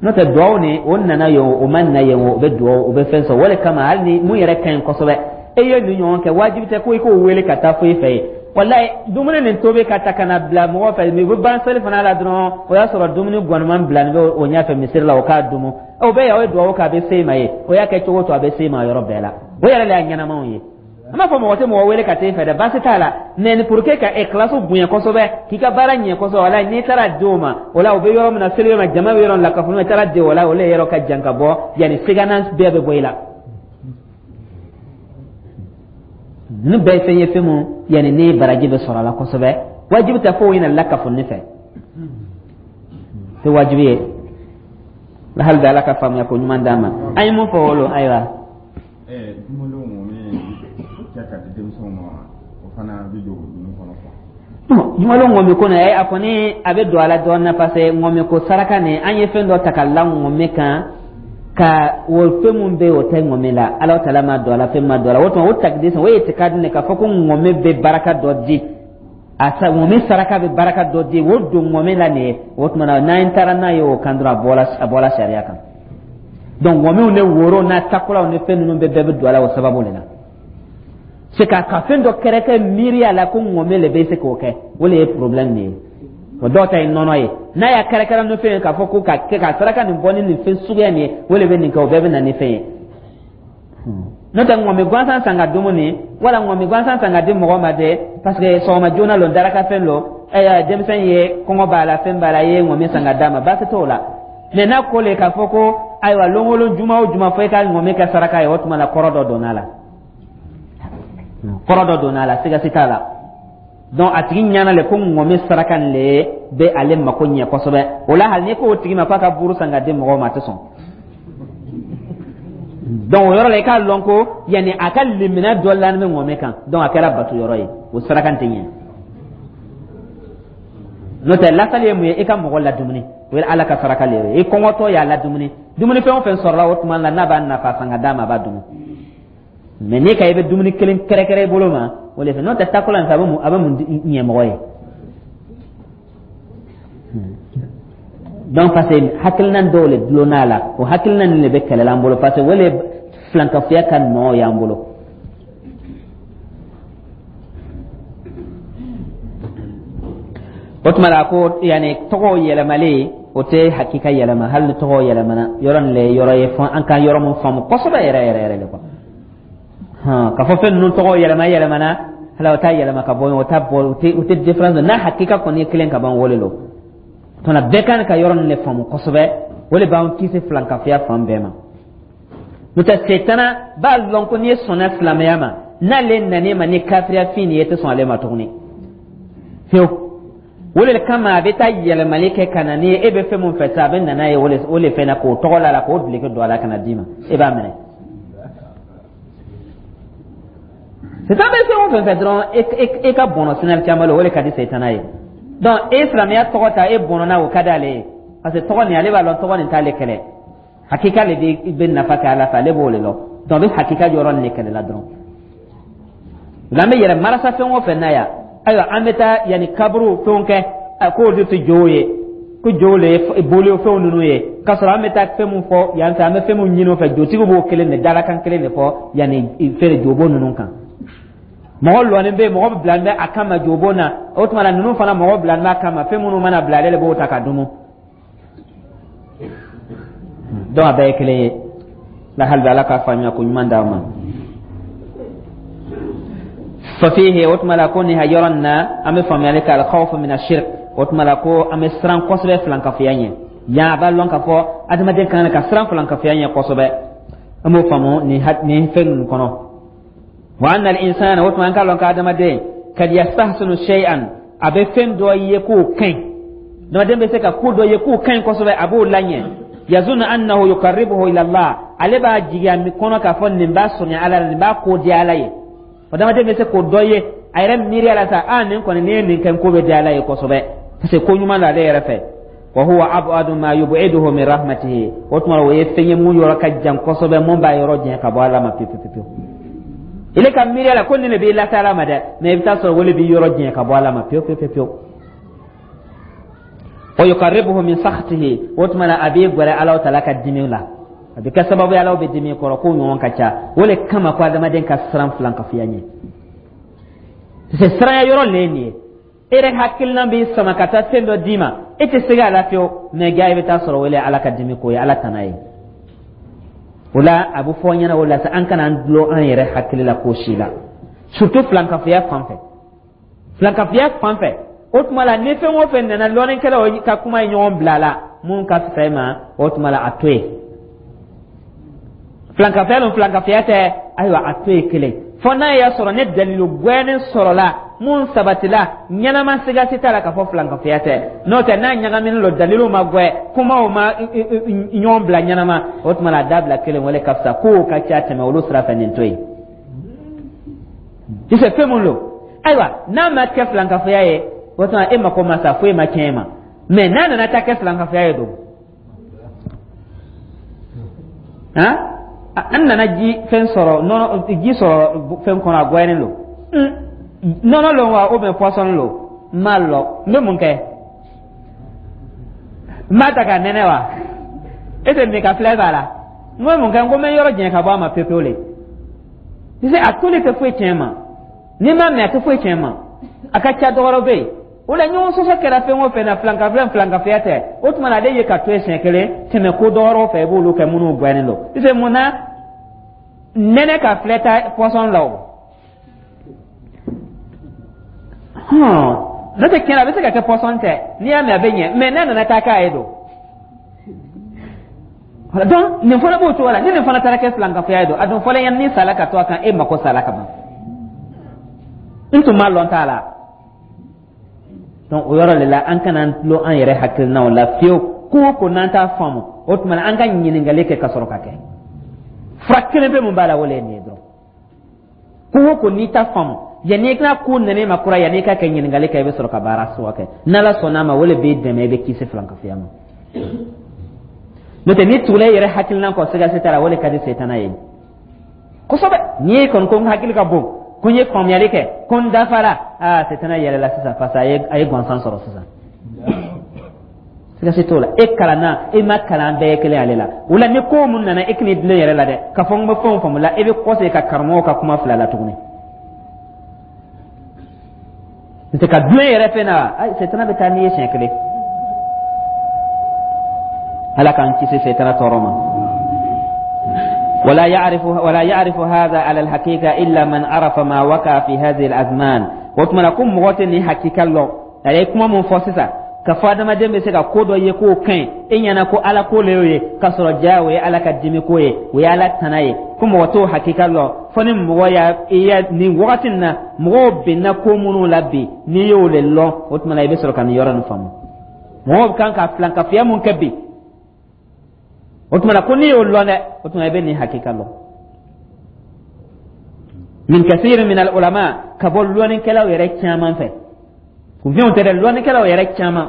S1: N'o tɛ, duwawu nin, o nana yen o, o ma na yen o, o bɛ duwawu, o bɛ fɛn sɔrɔ. O de kama, hali ni mun yɛrɛ ka ɲi kosɛbɛ, e ye nin ɲɔgɔn kɛ, wajibi tɛ ko i k'o wele ka taa foyi fɛ yen. Walayi, dumuni nin tobi ka ta ka na bila mɔgɔ fɛ, u bɛ ban seli fana la dɔrɔn, o y'a sɔrɔ dumuni gɔniman bilalen bɛ o ɲɛfɛ misiri la, o k'a dumu. O bɛ yan, o ye duwawu kɛ, a bɛ se i ma yen. O y'a kɛ cogo o cogo, a bɛ se i ma yɔrɔ bɛɛ la. O yɛrɛ de y'a ɲɛnamaw ye. An b'a fɔ mɔgɔ tɛ mɔgɔ wele ka taa i fɛ dɛ, baasi t'a la. Mais ni pour que ka ikhlasu bonya kosɛbɛ, k'i ka baara ɲɛ kosɛbɛ, walayi, n'i taara di o ma, o la u bɛ yɔrɔ min na, seli yɔrɔ min na, jama bɛ yɔrɔ min na, kafo i taara di o la, o le yɔrɔ ka jan ka bɔ yanni sigana bɛɛ bɛ bɔ i la. Ninnu bɛɛ ye fɛn ye, fɛn mun yanni ni baraji bɛ sɔrɔ a la kosɛbɛ. Wajibi tɛ fo ɲinɛ lakafoni fɛ, tɛ wajibi ye. Hali bi, Ala ka faamuya ko ɲuman d'an ma. An ye mun fɔ o lo? Ayiwa.
S3: Dumuniw min kɛ ka di denmisɛnw ma, o fana bɛ don ninnu kɔnɔ quoi.
S1: Jumalon ŋɔmi ko nin, a kɔni a bɛ don a la dɔɔnin na, parce que ŋɔmi ko saraka nin, an ye fɛn dɔ ta ka la ŋɔmi kan, ka o fɛn mun bɛ yen, o tɛ ŋɔmi la. Ala taala ma don a la, fɛn ma don a la. O tuma o takidisi, o ye itikadi ne k'a fɔ ko ŋɔmi bɛ baraka dɔ di a sa, ŋɔmi saraka bɛ baraka dɔ di, o don ŋɔmi la nin ye. O tuma na, n'an taara n'a ye o kan dɔrɔn, a bɔla sariya kan. Donc ŋɔmiw ni woro n'a takulaw ni fɛn ninnu bɛɛ bɛ don a la o sababu de la. C'est ka fɛn dɔ kɛrɛkɛ miiriya la ko ŋɔmi le bɛ se k'o kɛ, o le ye problème nin ye. O dɔw ta ye nɔnɔ ye. N'a y'a kɛrɛkɛrɛ ni fɛn ye k'a fɔ ko ka kɛ ka saraka nin bɔ ni nin fɛn suguya nin ye, o le bɛ nin kɛ, o bɛɛ bɛ na ni fɛn ye. N'o tɛ, ŋɔmi gansan san ka dumuni wala ŋɔmi gansan san ka di mɔgɔ ma dɛ, parce que sɔgɔma joona lo, daraka fɛn lo, ɛɛ denmisɛn ye kɔngɔ b'a la, fɛn b'a la, i ye ŋɔmi san ka d'a ma, baasi t'o la. Mais n'a ko le k'a fɔ ko ayiwa, lon o lon, juma o juma, fo i ka ŋɔmi kɛ saraka ye, o tuma la kɔrɔ dɔ donna a la, kɔrɔ dɔ donna a la, sigasi t'a la. Donc a tigi ɲana le ko ŋɔmi saraka nin le bɛ ale mako ɲɛ kosɛbɛ. O la, hali n'i ko o tigi ma k'a ka buru san ka di mɔgɔw ma, a tɛ sɔn. Donc o yɔrɔ la, i k'a lɔn ko yanni a ka limina dɔ lani bɛ ŋɔmi kan. Donc a kɛra bato yɔrɔ ye, o saraka tɛ ɲɛ. N'o tɛ, lasali ye mun ye? I ka mɔgɔ ladumuni, o ye Ala ka saraka le ye. I kɔngɔtɔ y'a ladumuni, dumuni fɛn o fɛn sɔrɔla o tuma la, n'a b'a nafa, san ka d'a ma, a b'a dumu. Mais n'i ka i bɛ dumuni kelen kɛrɛkɛrɛ i bolo ma, o le fɛ. N'o tɛ, takola in fɛ, a bɛ mun ɲɛ mɔgɔ ye? Donc parce que hakilina dɔw le dulonna a la, o hakilina nin de bɛ kɛlɛ la an bolo, parce que o le filankafoya ka nɔ y'an bolo. O tuma la, ko yanni tɔgɔw yɛlɛmalen, o tɛ hakika yɛlɛma. Hali ni tɔgɔw yɛlɛmana, yɔrɔ nin le ye yɔrɔ ye fɔ an ka yɔrɔ mun faamu kosɛbɛ yɛrɛ yɛrɛ yɛrɛ de quoi. K'a fɔ fɛn ninnu tɔgɔ yɛlɛma yɛlɛmana, hali o t'a yɛlɛma ka bɔ yen, o t'a bɔ, o tɛ différence n'a hakika kɔni ye kelen ka ban, o le lo. Tuma bɛɛ kan ka yɔrɔ nin de faamu kosɛbɛ, o de b'an kisi filankafoya fan bɛɛ ma. N'o tɛ, setana b'a lɔn ko n'i ye sɔnna silamɛya ma, n'ale nan'i ma ni kafiriya fin nin ye, i tɛ sɔn ale ma tuguni fiyewu. O de kama a bɛ taa yɛlɛmali kɛ ka na ni e bɛ fɛn mun fɛ sa, a bɛ na n'a ye o le fɛn na, k'o tɔgɔ la la, k'o duloki don a la ka na d'i ma, e b'a minɛ. Setan bɛ fɛn o fɛn fɛ dɔrɔn, e ka bɔnɔ sinali caman la, o de ka di setana ye. Donc e silamɛya tɔgɔ ta, e bɔnɔna, o ka d'ale ye, parce que tɔgɔ nin, ale b'a lɔn tɔgɔ nin t'ale kɛlɛ, hakika le bɛ nafa kɛ ala fɛ, ale b'o de lɔn. Donc a bɛ hakika yɔrɔ nin de kɛlɛ la dɔrɔn. Nka an bɛ yɛrɛ marasa fɛn o fɛn na yan. Ayiwa, an bɛ taa yanni kaburu fɛnw kɛ, a k'olu tɛ jow ye, ko jow le ye boli fɛnw ninnu ye, k'a sɔrɔ an bɛ taa fɛn min fɔ yan fɛ, an bɛ fɛn min ɲini o fɛ, jotigiw b'o kelen de dalakan kelen de fɔ yanni fɛn jobon ninnu kan. Mɔgɔ lɔnnen bɛ yen, mɔgɔ bilalen bɛ a kama jobon na. O tuma na, ninnu fana mɔgɔ bilalen bɛ a kama, fɛn minnu mana bila, ale de b'o ta ka dumu. Donc a bɛɛ ye kelen ye la. Hali bi Ala k'a faamuya ko ɲuman d'an ma. Fafihi, o tuma la ko nin yɔrɔ nin na, an bɛ faamuyali kɛ alkhawfu min ashirk. O tuma la ko an bɛ siran kosɛbɛ filankafoya ɲɛ yan. A b'a lɔn k'a fɔ adamaden kan ka siran filankafoya ɲɛ kosɛbɛ. An b'o faamu nin fɛn ninnu kɔnɔ. Wa anna al-insana, o tuma an k'a lɔn k'adamaden kad yastahsinu shay'an, a bɛ fɛn dɔ ye k'o ka ɲi. Adamaden bɛ se ka ko dɔ ye k'o ka ɲi kosɛbɛ, a b'o laɲɛ. Yazunnu annahu yuqarribuhu ila Allah, ale b'a jigi a kɔnɔ k'a fɔ nin b'a surunya Ala la, nin b'a ko diya Ala ye. Adamaden bɛ se k'o dɔ ye a yɛrɛ miiriya la sa, a nin kɔni, n'i ye nin kɛ, n ko bɛ diya Ala ye kosɛbɛ, parce que ko ɲuman don ale yɛrɛ fɛ. Wa huwa ab'adu ma yub'iduhu min rahmatihi, o tuma o ye fɛn ye mun yɔrɔ ka jan kosɛbɛ, mun b'a yɔrɔ janya ka bɔ Ala ma pewu pewu pewu. Ile ka miiriya la ko nin de b'i lase Ala ma dɛ, mais i bɛ taa sɔrɔ o le b'i yɔrɔ janya ka bɔ Ala ma pewu pewu pewu. Wa yuqarribuhu min sakhtihi, o tuma na a b'i gwɛrɛ Ala taala ka dimi la, a bɛ kɛ sababu ye Ala bɛ dimi kɔrɔ. K'o ɲɔgɔn ka ca. O le kama ko adamaden ka siran filankafoya ɲɛ, parce que siranya yɔrɔ le ye nin ye. E yɛrɛ hakilina b'i sama ka taa fɛn dɔ d'i ma, e tɛ se a la fiyewu, mais ja i bɛ taa sɔrɔ o le Ala ka dimi ko ye, Ala tana ye. O la a bɛ fɔ an ɲɛna o la sa, an kana an dulon an yɛrɛ hakili la ko si la, surtout filankafoya fan fɛ. Filankafoya fan fɛ, o tuma la ni fɛn o fɛn nana, lɔnnikɛlaw ka kuma ye ɲɔgɔn bila a la, mun ka fisa i ma, o tuma la a to yen. Filankafoya don, filankafoya tɛ, ayiwa, a to yen kelen, fo n'a y'a sɔrɔ ni dalilu gwɛnin sɔrɔla mun sabatila ɲɛnama, siga si t'a la k'a fɔ filankafoya tɛ. N'o tɛ, n'a ɲagaminen don, dalilu ma gwɛ, kumaw ma ɲɔgɔn bila ɲɛnama, o tuma la a dabila kelen, wale ka fisa. Kow ka ca tɛmɛ olu sira fɛ, nin to yen. I fɛ fɛn mun don, ayiwa, n'a ma kɛ filankafoya ye, o tuma e mako ma sa, foyi ma tiɲɛ e ma. Mais n'a nana taa kɛ filankafoya ye don, han, an nana ji fɛn sɔrɔ, nɔnɔ ji sɔrɔ fɛn kɔnɔ, a gwɛnnen don, nɔnɔ lo wa ou bien poisson lo, n m'a lɔn, n bɛ mun kɛ? N b'a ta ka nɛnɛ wa? E tɛ min ka filɛ b'a la, n bɛ mun kɛ? N ko n bɛ yɔrɔ janya ka bɔ a ma pewu pewu le. Tu sais, a toli tɛ foyi tiɲɛ ma, n'i m'a min, a tɛ foyi tiɲɛ ma. A ka ca dɔgɔrɔ bɛ yen. O la ɲɔgɔn sɔsɔ kɛra fɛn o fɛn na, filankafoya filankafoya tɛ, o tuma na ale ye ka to yen siɲɛ kelen, tɛmɛ ko dɔwɛrɛw fɛ, i b'olu kɛ minnu gwɛnnen don. Tu sais, mun na nɛnɛ ka filɛ ta poisson la o? Hɔn, n'o tɛ tiɲɛ na, a bɛ se ka kɛ poisson tɛ, n'i y'a min a bɛ ɲɛ, mais n'a nana taa k'a ye don. Donc nin fana b'o cogo la. Ni nin fana taara kɛ filankafoya ye don, a dun fɔlen yan, ni sala ka to a kan, e mako sala ka ban, n tun m'a lɔn t'a la. Donc o yɔrɔ de la, an kana an tulon an yɛrɛ hakilinaw la fiyewu. Ko o ko n'an t'a faamu, o tuma na an ka ɲininkali kɛ ka sɔrɔ ka kɛ. Fura kelen pe mun b'a la, o le ye nin ye dɔrɔn. Ko o ko n'i t'a faamu, yanni i ka ko nana i ma kura, yanni i ka kɛ ɲininkali kɛ, i bɛ sɔrɔ ka baara suwa kɛ. N'Ala sɔnna a ma, o le b'i dɛmɛ, i bɛ kisi filankafoya ma. N'o tɛ, n'i tugula i yɛrɛ hakilina kɔ, siga si t'a la, o le ka di setana ye kosɛbɛ. N'i ye kɔni ko n hakili ka bon, ko n ye faamuyali kɛ, ko n dafara, aa, setana yɛlɛla sisan, parce que a ye gansan sɔrɔ sisan. Siga si t'o la. E kalanna, e ma kalan, bɛɛ ye kelen ale la. O la ni ko mun nana, e kan'i dulon yɛrɛ la dɛ, k'a fɔ n bɛ fɛnw faamu la, e bɛ kɔsegin ka karamɔgɔw ka kuma filɛ a la tuguni. N'o tɛ, ka dulon yɛrɛ fɛn na, ayi, setana bɛ taa n'i ye siɲɛ kelen. Ala k'an kisi setana tɔɔrɔ ma. ولا يعرف هذا على الحقيقة إلا من عرف ما وقع في هذه الأزمان. O tuma na ko mɔgɔ tɛ nin hakika lɔn. A ye kuma mun fɔ sisan, ka fɔ adamaden bɛ se ka ko dɔ ye k'o ka ɲi e ɲɛna, ko Ala ko le y'o ye, k'a sɔrɔ ja o ye Ala ka dimi ko ye, o ye Ala tana ye, ko mɔgɔ t'o hakika lɔn fo ni mɔgɔ y'a i ya nin wagati nin na mɔgɔw benna ko minnu la bi. N'i y'o le lɔn, o tuma na i bɛ sɔrɔ ka nin yɔrɔ nin faamu, mɔgɔw kan ka filankafoya mun kɛ bi. O tuma na ko n'i y'o lɔn dɛ, o tuma i bɛ nin hakika lɔn. Min kasiri min al ulama, ka bɔ lɔnnikɛlaw yɛrɛ caman fɛ, kunfinw tɛ dɛ, lɔnnikɛlaw yɛrɛ caman,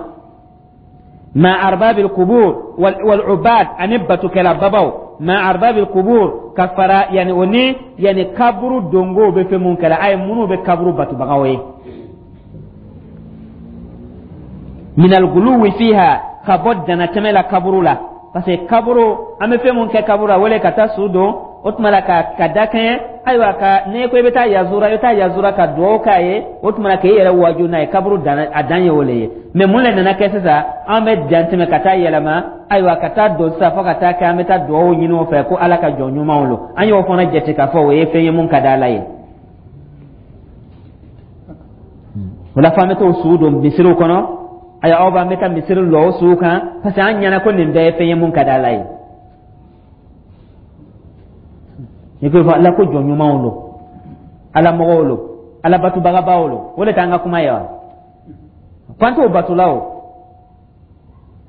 S1: ma arbabil kubur wal ubad, ani batukɛla babaw, ma arbabil kubur, ka fara yani o ni yani kaburu dongow bɛ fɛn mun kɛla, a ye minnu bɛ kaburu batubagaw ye. Minal guluwi fiha, ka bɔ danatɛmɛ la kaburu la, parce que kaburu, an bɛ fɛn mun kɛ kaburu la, wele ka taa su don, o tuma la ka da kɛɲɛ. Ayiwa, ka n'e ko i bɛ taa yazura, i bɛ taa yazura ka dugawu k'a ye, o tuma la k'e yɛrɛ waju n'a ye. Kaburu dan, a dan ye o le ye. Mais mun le nana kɛ sisan? An bɛ dantɛmɛ ka taa yɛlɛma, ayiwa, ka taa don sisan, fo ka taa kɛ an bɛ taa dugawu ɲini o fɛ ko Ala ka jɔn ɲumanw lo. An y'o fana jate k'a fɔ o ye fɛn ye mun ka di Ala ye. O la fo an bɛ t'o su don misiriw kɔnɔ. Ayiwa, aw b'an bɛ taa misiri lɔ o suw kan, parce que an ɲɛna ko nin bɛɛ ye fɛn ye mun ka di Ala ye. N'i ko fɔ Ala ko jɔn ɲumanw lo, Ala mɔgɔw lo, Ala batubagabaw lo, o de t'an ka kuma ye wa? Ko an t'o batula, o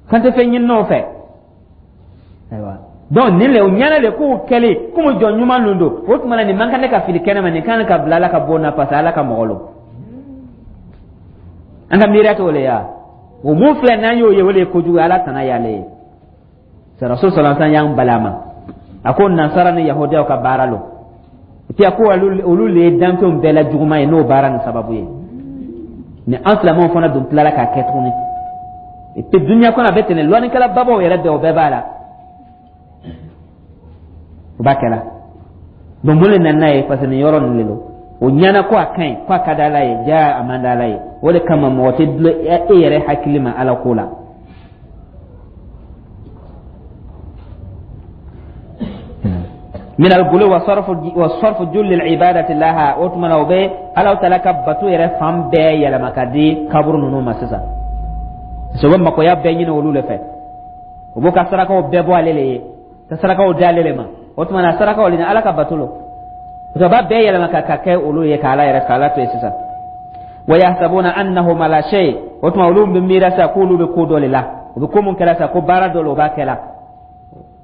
S1: k'an tɛ fɛn ɲini o fɛ. Ayiwa, donc nin le o ɲɛna le k'o kɛlen komi jɔn ɲuman ninnu don, o tuma na nin man kan ne ka fili kɛnɛ ma, nin kan ka bila Ala ka bon na, parce que Ala ka mɔgɔ lo. An ka miiriya t'o le ya. O mun filɛ, n'an y'o ye, o le ye kojugu ye. Ala tana y'ale ye. Rasul sallallahu alaihi wasallam y'an bali a ma. A ko nansara ni yahudiyaw ka baara lo, et puis a ko olu le ye danfɛnw bɛɛ la juguman ye n'o baara nin sababu ye. Ni an silamɛw fana dun tilala k'a kɛ tuguni, et puis dunuya kɔnɔ a bɛ ten, lɔnnikɛla babaw yɛrɛ bɛɛ, o bɛɛ b'a la, o b'a kɛla. Donc mun le nana n'a ye? Parce que nin yɔrɔ nin le lo, o ɲɛna ko a ka ɲi, ko a ka di Ala ye. Ja, a man di Ala ye. O de kama mɔgɔ tɛ dulon e yɛrɛ hakili ma Ala ko la. Min al-gulu wa sarfu julli al-ibadati laha. O tuma na, o bɛ Ala taala ka bato yɛrɛ fan bɛɛ yɛlɛma ka di kaburu ninnu ma sisan, parce que u bɛ makoya bɛɛ ɲini olu de fɛ. U b'u ka sarakaw bɛɛ bɔ ale le ye, ka sarakaw di ale le ma. O tuma na, sarakaw le ni Ala ka bato lo, parce que u b'a bɛɛ yɛlɛma ka kɛ olu ye, ka Ala yɛrɛ, ka Ala to yen sisan. Wa yahsabuna annahum ala shay. O tuma olu bɛ miira sisan k'olu bɛ ko dɔ le la, u bɛ ko mun kɛra sisan, ko baara dɔ le u b'a kɛ la.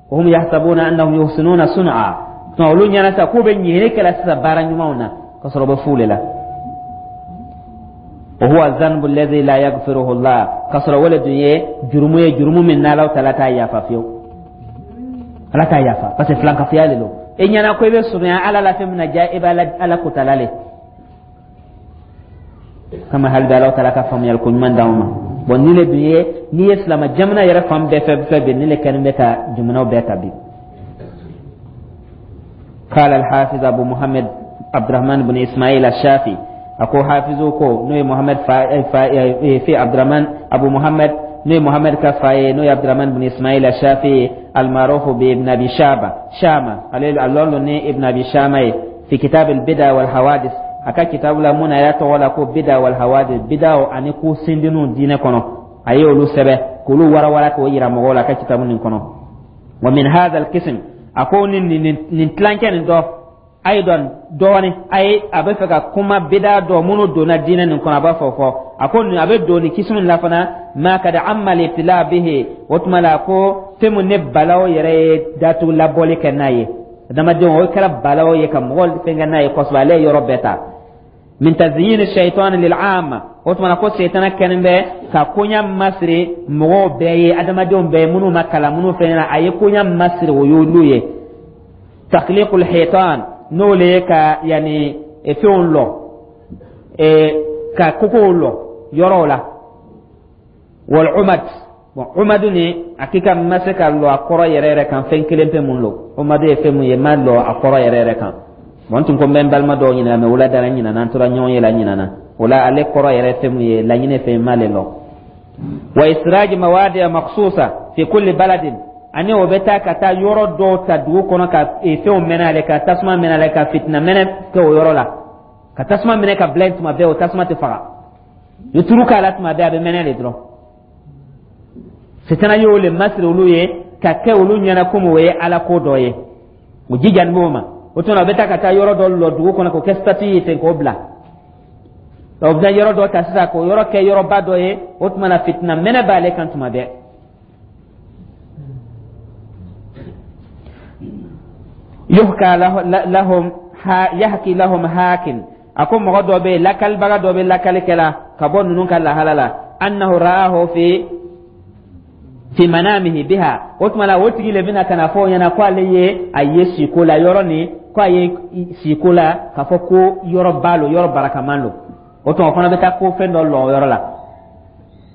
S1: Wa hum yahsabuna annahum yuhsinuna sun'a. Tuma olu ɲɛna sisan k'u bɛ ɲinini kɛla sisan baara ɲumanw na, ka sɔrɔ u bɛ fu le la. Wa huwa dhanbu alladhi la yaghfiruhu Allah, ka sɔrɔ o le dun ye jurumu ye, jurumu min n'Ala taala t'a yafa fiyewu. Ala t'a yafa, parce que filankafoya le don. E ɲɛna ko i bɛ surunya Ala la fɛn min na, ja i bɛ Ala kotala le kama. Hali bi, Ala taala ka faamuyali ko ɲuman d'anw ma. Bon, nin le dun ye, n'i ye silama jamana yɛrɛ fan bɛɛ fɛ bi, nin le kɛlen bɛ ka jamanaw bɛɛ ta bi. قال الحافظ أبو محمد عبد الرحمن بن إسماعيل الشافعي. أكو حافظ كو نوي محمد فا فا في عبد الرحمن أبو محمد نوي محمد كفاي نوي عبد الرحمن بن إسماعيل الشافعي المعروف بابن أبي شابة شامة عليه الله ني ابن أبي شامة، في كتاب البدع والحوادث. A ka kitabu la mun na, a y'a tɔgɔ la ko bida wal hawadis, bidaw ani ko sindininw diinɛ kɔnɔ, a ye olu sɛbɛ k'olu warawara k'o yira mɔgɔw la a ka kitabu nin kɔnɔ. Wa min hadha al-qism, a ko ni nin tilancɛ nin dɔ ayidan dɔɔni, a ye a bɛ fɛ ka kuma bida dɔ minnu donna diinɛ nin kɔnɔ, a b'a fɔ a ko nin a bɛ don nin kisimu la fana. Ma kad amma al-ibtila bihi. O tuma la ko fɛn mun ne balaw yɛrɛ ye datugu labɔli kɛ n'a ye adamadenw, o kɛra balaw ye ka mɔgɔ fɛnkɛ n'a ye kosɛbɛ, ale ye yɔrɔ bɛɛ ta. Min tazyin shaitan lil amma. O tuma na ko setana kɛlen bɛ ka koɲa masiri mɔgɔw bɛɛ ye, adamadenw bɛɛ ye, minnu ma kalan, minnu fɛn na, a ye koɲa masiri o y'olu ye. Takhliqul hitan, n'o le ye ka yanni fɛnw lɔ, ka kokow lɔ yɔrɔw la. Wal umad. Bon, umadu ni hakika ma se ka lɔ a kɔrɔ yɛrɛ yɛrɛ kan, fɛn kelen pe mun lo. Umadu ye fɛn mun ye, ma lɔ a kɔrɔ yɛrɛ yɛrɛ kan. Bon, n tun ko n bɛ n balima dɔw ɲininka, mais wula dara n ɲinana, an tora ɲɔgɔn ye la ɲinana o la, ale kɔrɔ yɛrɛ fɛn mun ye, laɲini fɛn m'ale lɔ. Wa israji mawadi'a makhsusa fi kulli baladin, ani o bɛ taa ka taa yɔrɔ dɔw ta dugu kɔnɔ, ka fɛnw mɛnɛ ale, ka tasuma mɛnɛ ale, ka fitina mɛnɛ kɛ o yɔrɔ la, ka tasuma minɛ ka bila yen tuma bɛɛ, o tasuma tɛ faga. Ni turu k'a la tuma bɛɛ, a bɛ mɛnɛ de dɔrɔn. Sitana y'o le masiri olu ye ka kɛ olu ɲɛna komi o ye Ala ko dɔ ye, o jijani b'o ma. O tuma, a bɛ taa ka taa yɔrɔ dɔ lɔ dugu kɔnɔ k'o kɛ statue ye ten k'o bila. O bɛ yɔrɔ dɔ ta sisan k'o yɔrɔ kɛ yɔrɔba dɔ ye. O tuma na, fitina mɛnɛ b'ale kan tuma bɛɛ. Yuhka lahum yahki lahum hakin. A ko mɔgɔ dɔ bɛ yen, lakalibaga dɔ bɛ lakali kɛla ka bɔ ninnu ka lahala la. Annahu ra'ahu fi manamihi biha. O tuma la, o tigi le bɛna ka na fɔ o ɲɛna ko ale ye a ye siko la yɔrɔ nin, ko a ye siko la k'a fɔ ko yɔrɔba lo, yɔrɔ barakaman lo. O tuma, o fana bɛ taa ko fɛn dɔ lɔ o yɔrɔ la.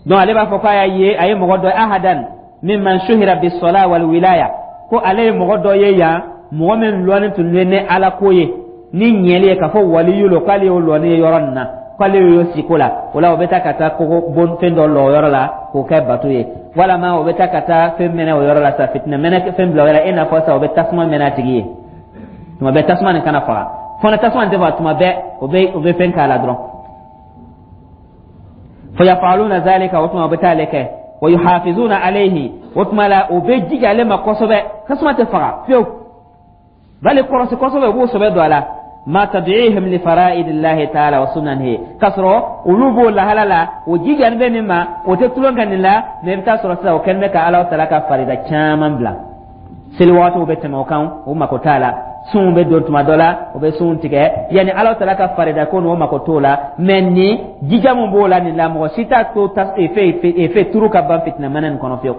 S1: Donc ale b'a fɔ k'a y'a ye, a ye mɔgɔ dɔ, ahadan mimman shuhira bisola wal wilaya, ko ale ye mɔgɔ dɔ ye yan, mɔgɔ min lɔnni tun bɛ ni Ala ko ye ni ɲɛli ye, k'a fɔ waliyu lo, k'ale y'o lɔnni ye yɔrɔ nin na, k'ale y'o siko la. O la, o bɛ taa ka taa kogo bon fɛn dɔ lɔ o yɔrɔ la k'o kɛ bato ye, walama o bɛ taa ka taa fɛn mɛnɛ o yɔrɔ la sa, fitinɛ mɛnɛ fɛn bila o yɔrɔ la, i n'a fɔ sa o bɛ tasuma mɛnɛ a tigi ye tuma bɛɛ, tasuma nin kana faga fana, tasuma nin tɛ faga tuma bɛɛ, o bɛ fɛn k'a la dɔrɔn. Fayafaluna zalika, o tuma o bɛ taa ale kɛ, wa yuhafizuna alayhi, o tuma la o bɛ jija ale ma kosɛbɛ, tasuma tɛ faga fiyewu, bali kɔlɔsi kosɛbɛ, u b'o sɛbɛ don a la, ma tad'ihim li fara'idillahi ta'ala wa sunanihi, k'a sɔrɔ olu b'o lahala la, o jijani bɛ nin ma, o tɛ tulon kɛ nin la. Mɛ i bɛ taa sɔrɔ sisan o kɛlen bɛ ka Ala taala ka farida caman bila. Seli wagatiw bɛ tɛmɛ o kan, o mako t'a la. Sunw bɛ don tuma dɔ la, o bɛ sunw tigɛ. Yanni Ala taala ka farida ko nin, o mako t'o la. Mɛ nin jija mun b'o la nin la, mɔgɔ si t'a to efe turu ka ban fitinɛ mɛnɛ nin kɔnɔ fiyewu,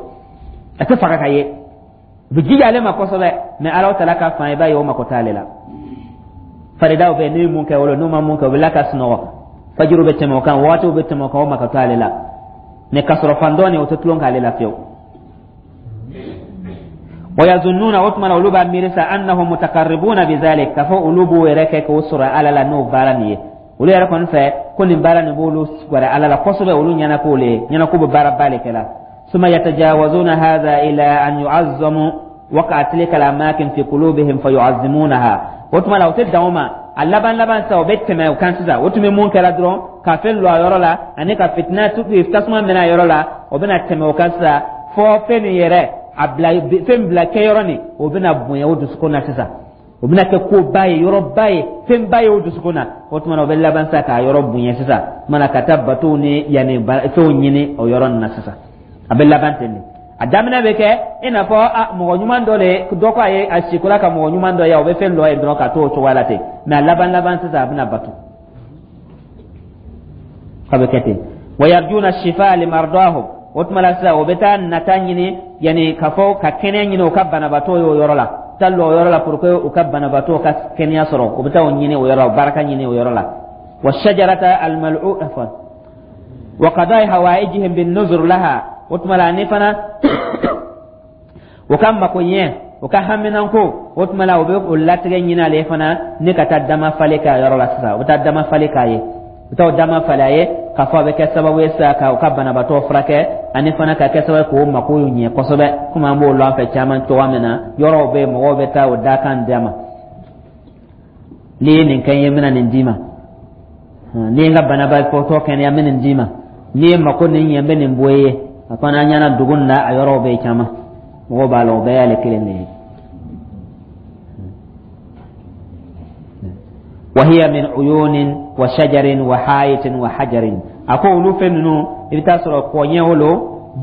S1: a tɛ faga ka ye. U bɛ jija ale ma kosɛbɛ, mɛ Ala taala ka fan, i b'a ye o mako t'ale la. Faridaw bɛ n'u ye mun kɛ o la, n'u ma mun kɛ, u bɛ la ka sunɔgɔ. Fajiru bɛ tɛmɛ o kan, wagatiw bɛ tɛmɛ o kan, o mako t'ale la. Mɛ k'a sɔrɔ fan dɔ nin, o tɛ tulon k'ale la fiyewu. Wa yazunnuna, o tuma na olu b'a miiri sa, annahum mutaqarribuna bizalik, k'a fɔ olu b'o yɛrɛ kɛ k'o sɔrɔ Ala la n'o baara nin ye. Olu yɛrɛ kɔni fɛ ko nin baara nin b'olu gɛrɛ Ala la kosɛbɛ, olu ɲɛna k'o le ye ɲɛna k'u bɛ baaraba de kɛ la. Summa yatajawazuna hadha ila an yu'azzamu waqa tilka al-amakin fi qulubihim fayu'azzimunaha. O tuma la o tɛ dan o ma, a laban laban sisan o bɛ tɛmɛ o kan sisan. O tun bɛ mun kɛra dɔrɔn, ka fɛn lɔ a yɔrɔ la ani ka fitina tasuma minɛ a yɔrɔ la, o bɛna tɛmɛ o kan sisan fɔ fɛn nin yɛrɛ a bila, fɛn bila kɛyɔrɔ nin, o bɛna bonya o dusukun na sisan, o bɛna kɛ koba ye, yɔrɔba ye, fɛnba ye o dusukun na. O tuma na o bɛ laban sisan k'a yɔrɔ bonya sisan, o tuma na ka taa batow ni yanni fɛnw ɲini o yɔrɔ nin na sisan. A bɛ laban ten de. A daminɛ bɛ kɛ i n'a fɔ a mɔgɔ ɲuman dɔ de dɔ ko a ye a sikola ka mɔgɔ ɲuman dɔ ye, o bɛ fɛn dɔ ye dɔrɔn ka to o cogoya la ten. Mɛ a laban laban sisan, a bɛna bato k'a bɛ kɛ ten. Wa yarjuna shifa limardahum, o tuma la sisan o bɛ taa nata ɲini, yanni ka fɔ ka kɛnɛya ɲini o ka banabaatɔ ye o yɔrɔ la, taa lɔ o yɔrɔ la pour que u ka banabaatɔ ka kɛnɛya sɔrɔ. O bɛ taa o ɲini o yɔrɔ la, o baraka ɲini o yɔrɔ la. Wa shajarata almal'u afwan wa qada'i hawaijihim bin nuzur laha, o tuma la ani fana o ka mako ɲɛ, o ka haminanko, o tuma la o bɛ o latigɛ ɲini ale fana ni ka taa dama falen k'a yɔrɔ la sisan. O bɛ taa dama falen k'a ye, u bɛ taa o dama falen a ye, k'a fɔ a bɛ kɛ sababu ye sisan ka u ka banabaatɔ furakɛ, ani fana ka kɛ sababu ye k'o mako ɲɛ kosɛbɛ, komi an b'o lɔn an fɛ caman cogoya min na. Yɔrɔw bɛ yen, mɔgɔw bɛ taa o dakan d'a ma: n'i ye nin kɛ n ye, n bɛna nin d'i ma. N'i ye n ka banabaatɔ kɛnɛya, n bɛ nin d'i ma. N'i ye mako nin ɲɛ, n bɛ nin bɔ i ye. A fana an ɲɛna dugu nin na, a yɔrɔw bɛ yen caman, mɔgɔw b'a la, o bɛɛ y'ale kelen de ye. Wahiya min uyunin wa shajarin wa hayitin wa hajarin, a ko olu fɛn ninnu, i bɛ taa sɔrɔ kɔɲɛw lo,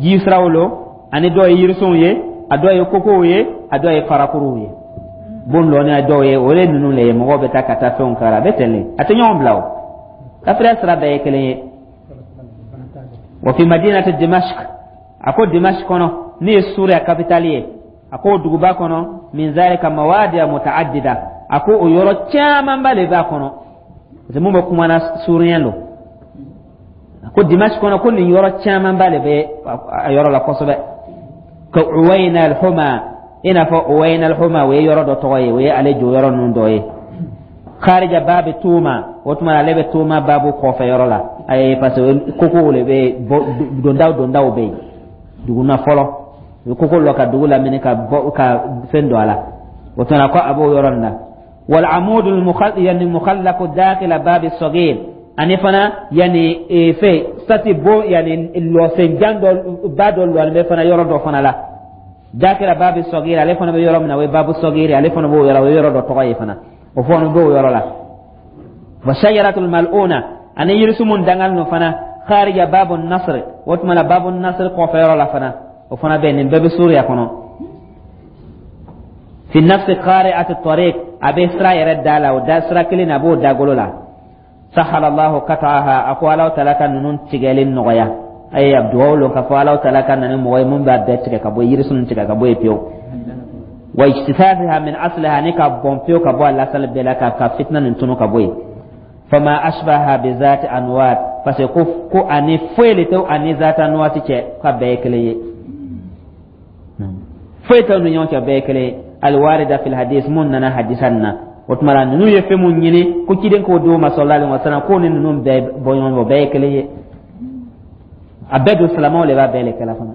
S1: jisiraw lo, ani dɔw ye yirisunw ye, a dɔw ye kokow ye, a dɔw ye farakuruw ye, bon lɔni a dɔw ye, o ye ninnu le ye. Mɔgɔw bɛ taa ka taa fɛnw k'a la, a bɛ ten de, a tɛ ɲɔgɔn bila. O kafiriya sira bɛɛ ye kelen ye. Wa fi madinati Dimashq, a ko Dimashq kɔnɔ, ne ye Suriya kapitali ye, a ko duguba kɔnɔ, min zalika mawadi'a mutaaddida, a ko o yɔrɔ camanba de b'a kɔnɔ, parce que mun bɛ kuma na, suriyɛn don. A ko Dimashq kɔnɔ, ko nin yɔrɔ camanba de bɛ a yɔrɔ la kosɛbɛ, ka Uwayna al-Huma, i n'a fɔ Uwayna al-Huma, o ye yɔrɔ dɔ tɔgɔ ye, o ye ale jɔ yɔrɔ ninnu dɔ ye, kharija babi Tuma, o tuma ale bɛ Tuma babu kɔfɛ yɔrɔ la. Ayi, parce que kokow de bɛ dondaw dondaw bɛ yen dugu na fɔlɔ, u bɛ koko lɔ ka dugu lamini ka bɔ ka fɛn don a la. O tuma ko a b'o yɔrɔ nin na. Wal amudu yani mukhallaqu dakhila babi sagir, ani fana yani fɛn sati bo, yani lɔsen jan dɔ ba dɔ lɔlen bɛ fana yɔrɔ dɔ fana la, dakhila babi sagir, ale fana bɛ yɔrɔ min na, o ye babu sagir, ale fana b'o yɔrɔ, o ye yɔrɔ dɔ tɔgɔ ye fana, o fana b'o yɔrɔ la. Wa shajaratul mal'una, ani yirisun mun dangali no fana, kharija babu nasr, o tuma la babu nasr kɔfɛ yɔrɔ la fana, o fana bɛ nin bɛɛ bɛ Suriya kɔnɔ. Fi nafsi qari'ati tariq, a bɛ sira yɛrɛ da la, o da sira kelen na, a b'o dagolo la. Sahala Allahu qat'aha, a ko Alahu taala ka ninnu tigɛli nɔgɔya. A ye dugawu lon k'a fɔ Alahu taala ka na ni mɔgɔ ye mun b'a bɛɛ tigɛ ka bɔ yen, yirisun tigɛ ka bɔ yen pewu, wa ijtisafiha min asliha, ni ka bɔn pewu ka bɔ a lasali bɛɛ la, ka fitina nin tunu ka bɔ yen. Fama ashbaha bi zati anwat, Parce que ko ani foyi le tɛ ani zata nuwasi cɛ, k'a bɛɛ ye kelen ye, foyi t'u ni ɲɔgɔn cɛ, bɛɛ ye kelen ye. Alwarida fil hadis, mun nana hadisa nin na. O tuma la, ninnu ye fɛn mun ɲini ko ciden k'o d'o ma, sallallahu alaihi wasallam, k'o ni ninnu bɛɛ bɔ ɲɔgɔn fɛ, o bɛɛ ye kelen ye. A bɛɛ don, silamɛw de b'a bɛɛ le kɛla fana.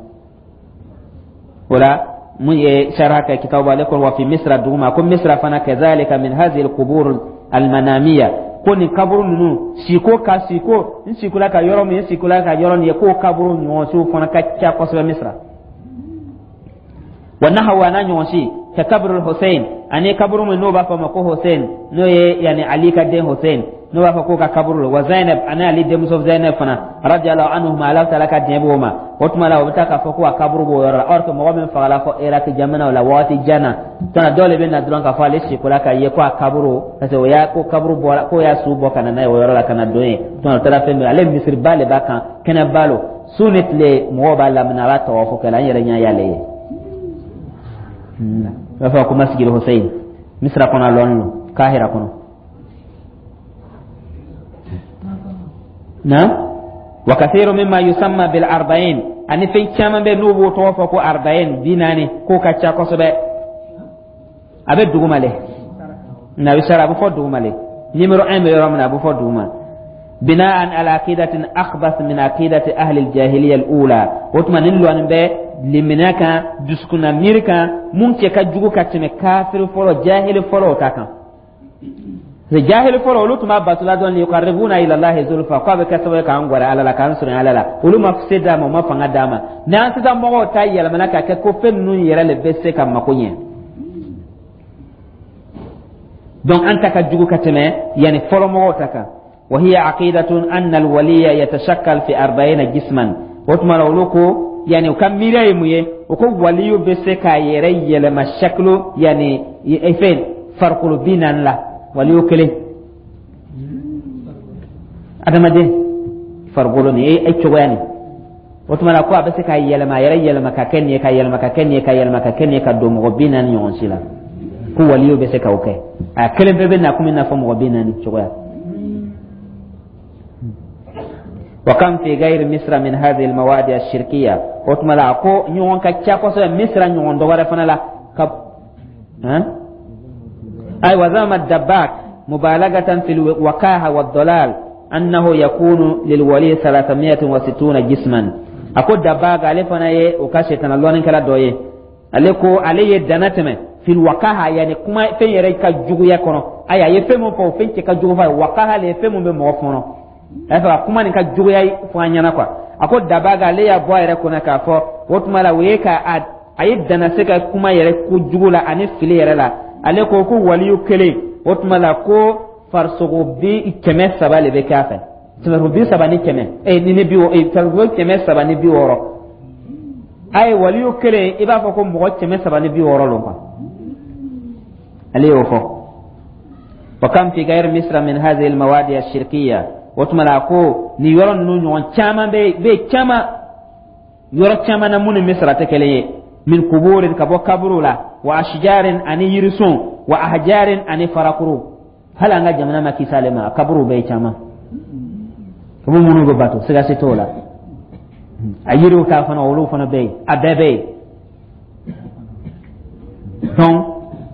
S1: O la, mun ye sharha kɛ kitabu, ale ko wa fi Misra, duguma ko Misra fana, kazalika min hadhihi alqubur almanamiya, ko nin kaburu ninnu siko ka siko n sikola ka yɔrɔ min, n sikola ka yɔrɔ nin ye, k'o kaburu ɲɔgɔn siw fana ka ca kosɛbɛ Misra. Wa nahawa, n'a ɲɔgɔn si, ka kaburu Hussein, ani kaburu min n'o b'a fɔ ma ko Hussein, n'o ye yani Ali ka den Hussein, n'o b'a fɔ k'o ka kaburu wa Zainab, ani Ali denmuso Zainab fana, radiyallahu anhuma, Ala taala ka diɲɛ b'o ma. O tuma la, o bɛ taa k'a fɔ ko a kaburu b'o yɔrɔ la, or que mɔgɔ min fagala fɔ Iraki jamanaw la waati jan na tana, dɔw de bɛ na dɔrɔn k'a fɔ ale sikola ka ye ko a kaburu, parce que o y'a ko kaburu bɔra, k'o y'a su bɔ ka na n'a ye o yɔrɔ la ka na don yen. O taara fɛn min, ale misiriba de b'a kan, kɛnɛba lo, su ni tile mɔgɔw b'a lamini, a b'a tawafu kɛ la. An yɛrɛ ɲɛ y'ale ye, u b'a fɔ ko masjid Hussein, Misira kɔnɔ, a lɔnni lo Kahira kɔnɔ na. Wa kathiru mimma yusamma bil arba'in, ani fɛn caman bɛ n'u b'o tɔgɔ fɔ ko arba'in, 40, k'o ka ca kosɛbɛ. A bɛ duguma le na, a bɛ sara, a bɛ fɔ duguma le, numéro 1 bɛ yɔrɔ min na, a bɛ fɔ duguma. Bina'an ala aqidatin akhbath min aqidati ahli al-jahiliya al-ula. O tuma, nin lɔnin bɛ limaniya kan, dusukunna miiri kan, mun cɛ ka jugu ka tɛmɛ kafiri fɔlɔ, jahili fɔlɔ ta kan. Jahili fɔlɔ, olu tun b'a batula dɔn liyuqarribuna ila Allahi zulfa, k'a bɛ kɛ sababu ye k'an gɛrɛ Ala la, k'an surunya Ala la. Olu ma se d'a ma, u ma fanga d'a ma. N'an sisan mɔgɔw ta yɛlɛmana ka kɛ ko fɛn ninnu yɛrɛ le bɛ se ka mako ɲɛ, donc an ta ka jugu ka tɛmɛ yani fɔlɔ mɔgɔw ta kan. Wa hiya aqidatun anna alwaliya yatashakkal fi arba'ina jisman. O tuma la, olu ko yani u ka miiriya ye mun ye? O ko waliyu bɛ se k'a yɛrɛ yɛlɛma shakilo, yani fɛn farikolo 40 la, waliyu kelen, adamaden farikolo nin e cogoya nin. O tuma la, ko a bɛ se ka yɛlɛma, a yɛrɛ yɛlɛma ka kɛ nin ye, ka yɛlɛma ka kɛ nin ye, ka yɛlɛma ka kɛ nin ye, ka don mɔgɔ 40 ɲɔgɔn si la, ko waliyu bɛ se k'o kɛ. A kelen bɛɛ bɛ na komi i n'a fɔ mɔgɔ 40 cogoya. Wa kam fi ghairi Misra min hadhihi almawadi ashirkiya. O tuma la, a ko ɲɔgɔn ka ca kosɛbɛ Misra ɲɔgɔn dɔ wɛrɛ fana la ka han. Ay wa zama dabbak mubalagatan fil wakaha wa dalal annahu yakunu lilwali 360 jisman. A ko Dabbag, ale fana ye o ka setana lɔnnikɛla dɔ ye, ale ko ale ye dana tɛmɛ fil wakaha, yani kuma fɛn yɛrɛ ka juguya kɔnɔ. Ayi, a ye fɛn mun fɔ, o fɛn cɛ ka jugu f'a ye. Wakaha le ye fɛn mun bɛ mɔgɔ kɔnɔ, a y'a fɛ ka kuma nin ka juguya fɔ an ɲɛna quoi. A ko Dabaga, ale y'a bɔ a yɛrɛ kɔnɔ k'a fɔ o tuma la, o ye ka a ye dana se ka kuma yɛrɛ ko jugu la ani fili yɛrɛ la. Ale ko ko waliyu kelen, o tuma la, ko farisogo 300 le bɛ kɛ a fɛ, farisogo bi saba ni kɛmɛ ni bi farisogo 360. A ye waliyu kelen, i b'a fɔ ko mɔgɔ 360 lo quoi, ale y'o fɔ. Wa kam fi ghairi Misra min hadhihi almawadi ashirkiya. O tuma la, ko nin yɔrɔ ninnu ɲɔgɔn caman bɛ caman yɔrɔ caman na, mun ni Misra tɛ kelen ye, min kuburin, ka bɔ kaburu la, wa ashjarin, ani yirisun, wa ahjarin, ani farakuru. Hali an ka jamana ma kisi ale ma, kaburu bɛ caman, kaburu minnu bɛ bato, siga si t'o la. A yiriw ta fana, olu fana bɛ yen, a bɛɛ bɛ yen. Donc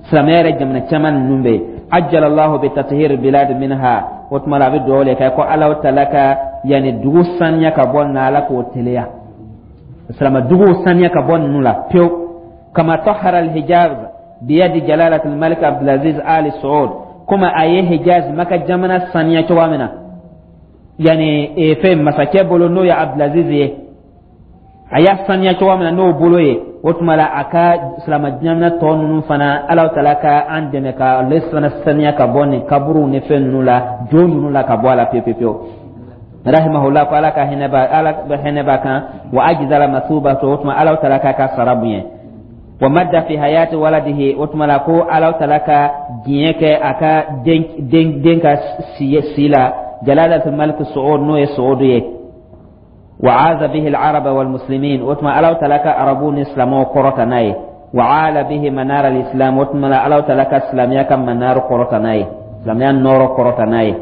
S1: silamɛya yɛrɛ jamana caman ninnu bɛ yen. Ajjalallahu bi tathir bilad minha. O tuma la, a bɛ dugawu de kɛ ko Ala taala ka yanni dugu saniya ka bɔ na, Ala k'o teliya, silamɛ duguw saniya ka bɔ ninnu la pewu. Kama tahara alhijaz biyadi jalalat almalik Abdulaziz Ali Saud, komi a ye Hijaz, Maka jamana saniya cogoya min na, yani fɛn masakɛ bolo, n'o ye Abdulaziz ye, a y'a saniya cogoya min na n'o bolo ye. O tuma la, a ka silamɛ jamana tɔ ninnu fana, Ala taala ka an dɛmɛ ka ale fana saniya ka bɔ nin kaburuw ni fɛn ninnu la, jo ninnu la, ka bɔ a la pewu pewu pewu. Rahimahullah, ko Ala ka hinɛ b'a, Ala hinɛ b'a kan. Wa ajzala masubatu, o tuma Ala taala k'a ka sara bonya. Wa madda fi hayati waladihi, o tuma la, ko Ala taala ka diɲɛ kɛ a ka den ka si la, jalalatul malik Su'ud, n'o ye Su'ud ye. Wa aza bihi al-araba wal muslimin, o tuma Ala taala ka arabu ni silamɛw kɔrɔta n'a ye. Wa ala bihi manar al-islam, o tuma la, Ala taala ka silamɛya ka manar kɔrɔta n'a ye, silamɛya nɔrɔ kɔrɔta n'a ye.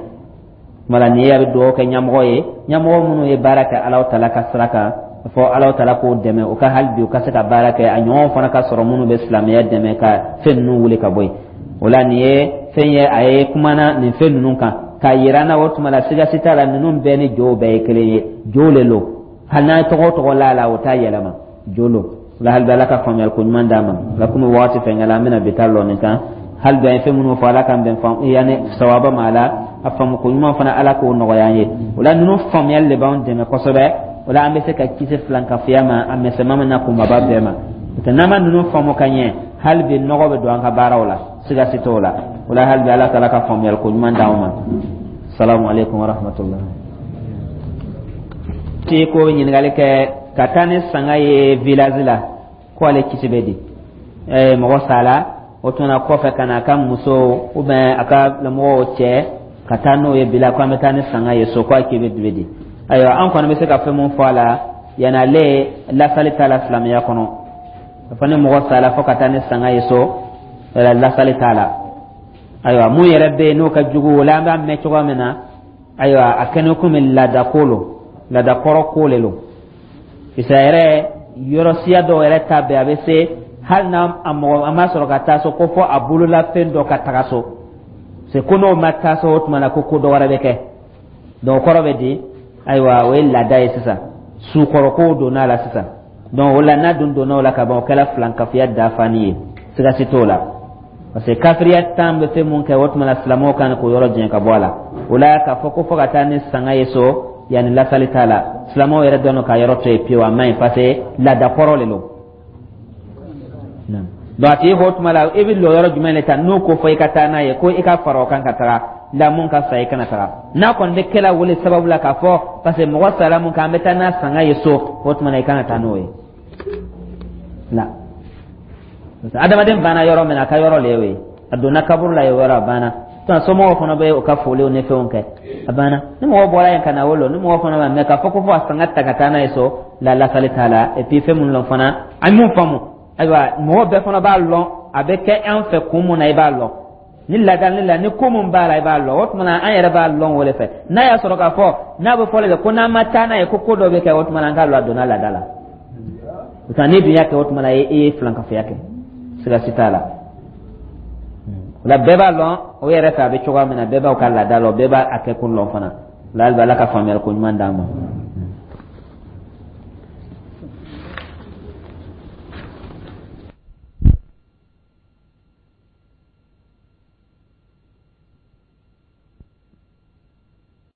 S1: Tuma la nin ye a bɛ dugawu kɛ ɲɛmɔgɔ ye, ɲɛmɔgɔ minnu ye baara kɛ Alahu Taala ka sira kan, fɔ Alahu Taala k'o dɛmɛ, o ka hali bi u ka se ka baara kɛ, a ɲɔgɔnw fana ka sɔrɔ minnu bɛ silamɛya dɛmɛ ka fɛn ninnu wuli ka bɔ yen. O la nin ye fɛn ye, a ye kumana nin fɛn ninnu kan k'a yira an na. O tuma la, siga si t'a la, ninnu bɛɛ ni jow bɛɛ ye kelen ye, jo le lo. Hali n'a ye tɔgɔ o tɔgɔ la a la, o t'a yɛlɛma, jo lo. O la hali bi, Ala ka faamuyali ko ɲuman d'an ma. O la, komi waati fɛnkɛla, an bɛna bi ta lɔ nin kan. Hali bi, an ye fɛn minnu fɔ, Ala k'an bɛn yanni sawaba ma a la, a faamu ko ɲuman fana, Ala k'o nɔgɔya an ye. O la, ninnu faamuyali de b'anw dɛmɛ kosɛbɛ. O la, an bɛ se ka kisi filankafoya ma, a misɛnman n'a kunbaba bɛɛ ma. N'o tɛ, n'an ma ninnu faamu ka ɲɛ, hali bi nɔgɔ bɛ don an ka baaraw la, siga si t'o la. O la, hali bi, Ala taala ka faamuyali ko ɲuman d'anw ma. Salamu aleykum wa rahmatulah. Ti ko ɲininkali kɛ ka taa ni sanga ye village la, ko ale kisi bɛ di mɔgɔ sala, o tuma kɔfɛ ka na a ka muso ou bien a ka mɔgɔw cɛ ka taa n'o ye bila ko an bɛ taa ni sanga ye so, ko a k'i bɛ di. Ayiwa, an kɔni bɛ se ka fɛn mun fɔ a la, yanni ale lasali t'a la silamɛya kɔnɔ. A fɔ ni mɔgɔ sala fo ka taa ni sanga ye so, lasali t'a la. Ayiwa, mun yɛrɛ bɛ yen n'o ka jugu, o la an b'a mɛn cogoya min na, ayiwa, a kɛnɛ komi laada ko lo, laada kɔrɔ ko le lo. Isa yɛrɛ yɔrɔ siya dɔw yɛrɛ ta bɛɛ, a bɛ se hali n'a a mɔgɔ a ma sɔrɔ ka taa so, ko fɔ a bololafɛn dɔ ka taga so se, ko n'o ma taa so, o tuma na ko ko dɔ wɛrɛ bɛ kɛ. Donc kɔrɔ bɛ di, ayiwa, o ye laada ye sisan, sukɔrɔkow donna a la sisan. Donc o la, n'a dun donna o la ka ban, o kɛra filankafoya dafani ye, siga si t'o la, parce que kafiriya tan bɛ fɛn mun kɛ, o tuma na silamɛw kan k'o yɔrɔ jɛn ka bɔ a la. O la, k'a fɔ ko fo ka taa ni sanga ye so, yanni lasali t'a la, silamɛw yɛrɛ dɔn ka yɔrɔ to yen pewu, a man ɲi, parce que laada kɔrɔ de don. Donc a tigi ko, o tuma la, i bɛ lɔ yɔrɔ jumɛn de ta n'o ko fɔ i ka taa n'a ye, ko i ka fara o kan ka taga la, mun ka fisa, i kana taga n'a kɔni bɛ kɛla wele sababu la k'a fɔ parce que mɔgɔ sara mun kan, an bɛ taa n'a sanga ye so, o tuma na i kana taa n'o ye la. Adamaden banna yɔrɔ min na, a ka yɔrɔ le y'o ye, a donna kaburu la yen, yɔrɔ a banna. Somɔgɔw fana bɛ u ka foliw ni fɛnw kɛ, a banna. Ni mɔgɔ bɔra yen ka na o lɔ, ni mɔgɔ fana b'a mɛ k'a fɔ ko fo a sanga ta ka taa n'a ye so la, lasali t'a la. Et puis fɛn minnu lɔn fana, an ye mun faamu, ayiwa, mɔgɔ bɛɛ fana b'a lɔn a bɛ kɛ an fɛ kun mun na, i b'a lɔn ni laada ni la ni ko mun b'a la, i b'a lɔn. O tuma na, an yɛrɛ b'a lɔn o de fɛ. N'a y'a sɔrɔ k'a fɔ n'a bɛ fɔ de ko n'an ma taa n'a ye, ko ko dɔ bɛ kɛ, o tuma na an k'a lɔn a donna laada la. O tuma n'i dun y'a kɛ, o tuma na i ye filankafoya kɛ, siga si t'a la. O la, bɛɛ b'a lɔn o yɛrɛ fɛ a bɛ cogoya min na, bɛɛ b'aw ka laada lɔn, bɛɛ b'a kɛ kun lɔn fana. O la, hali bi, Ala ka faamuyali ko ɲuman d'an ma.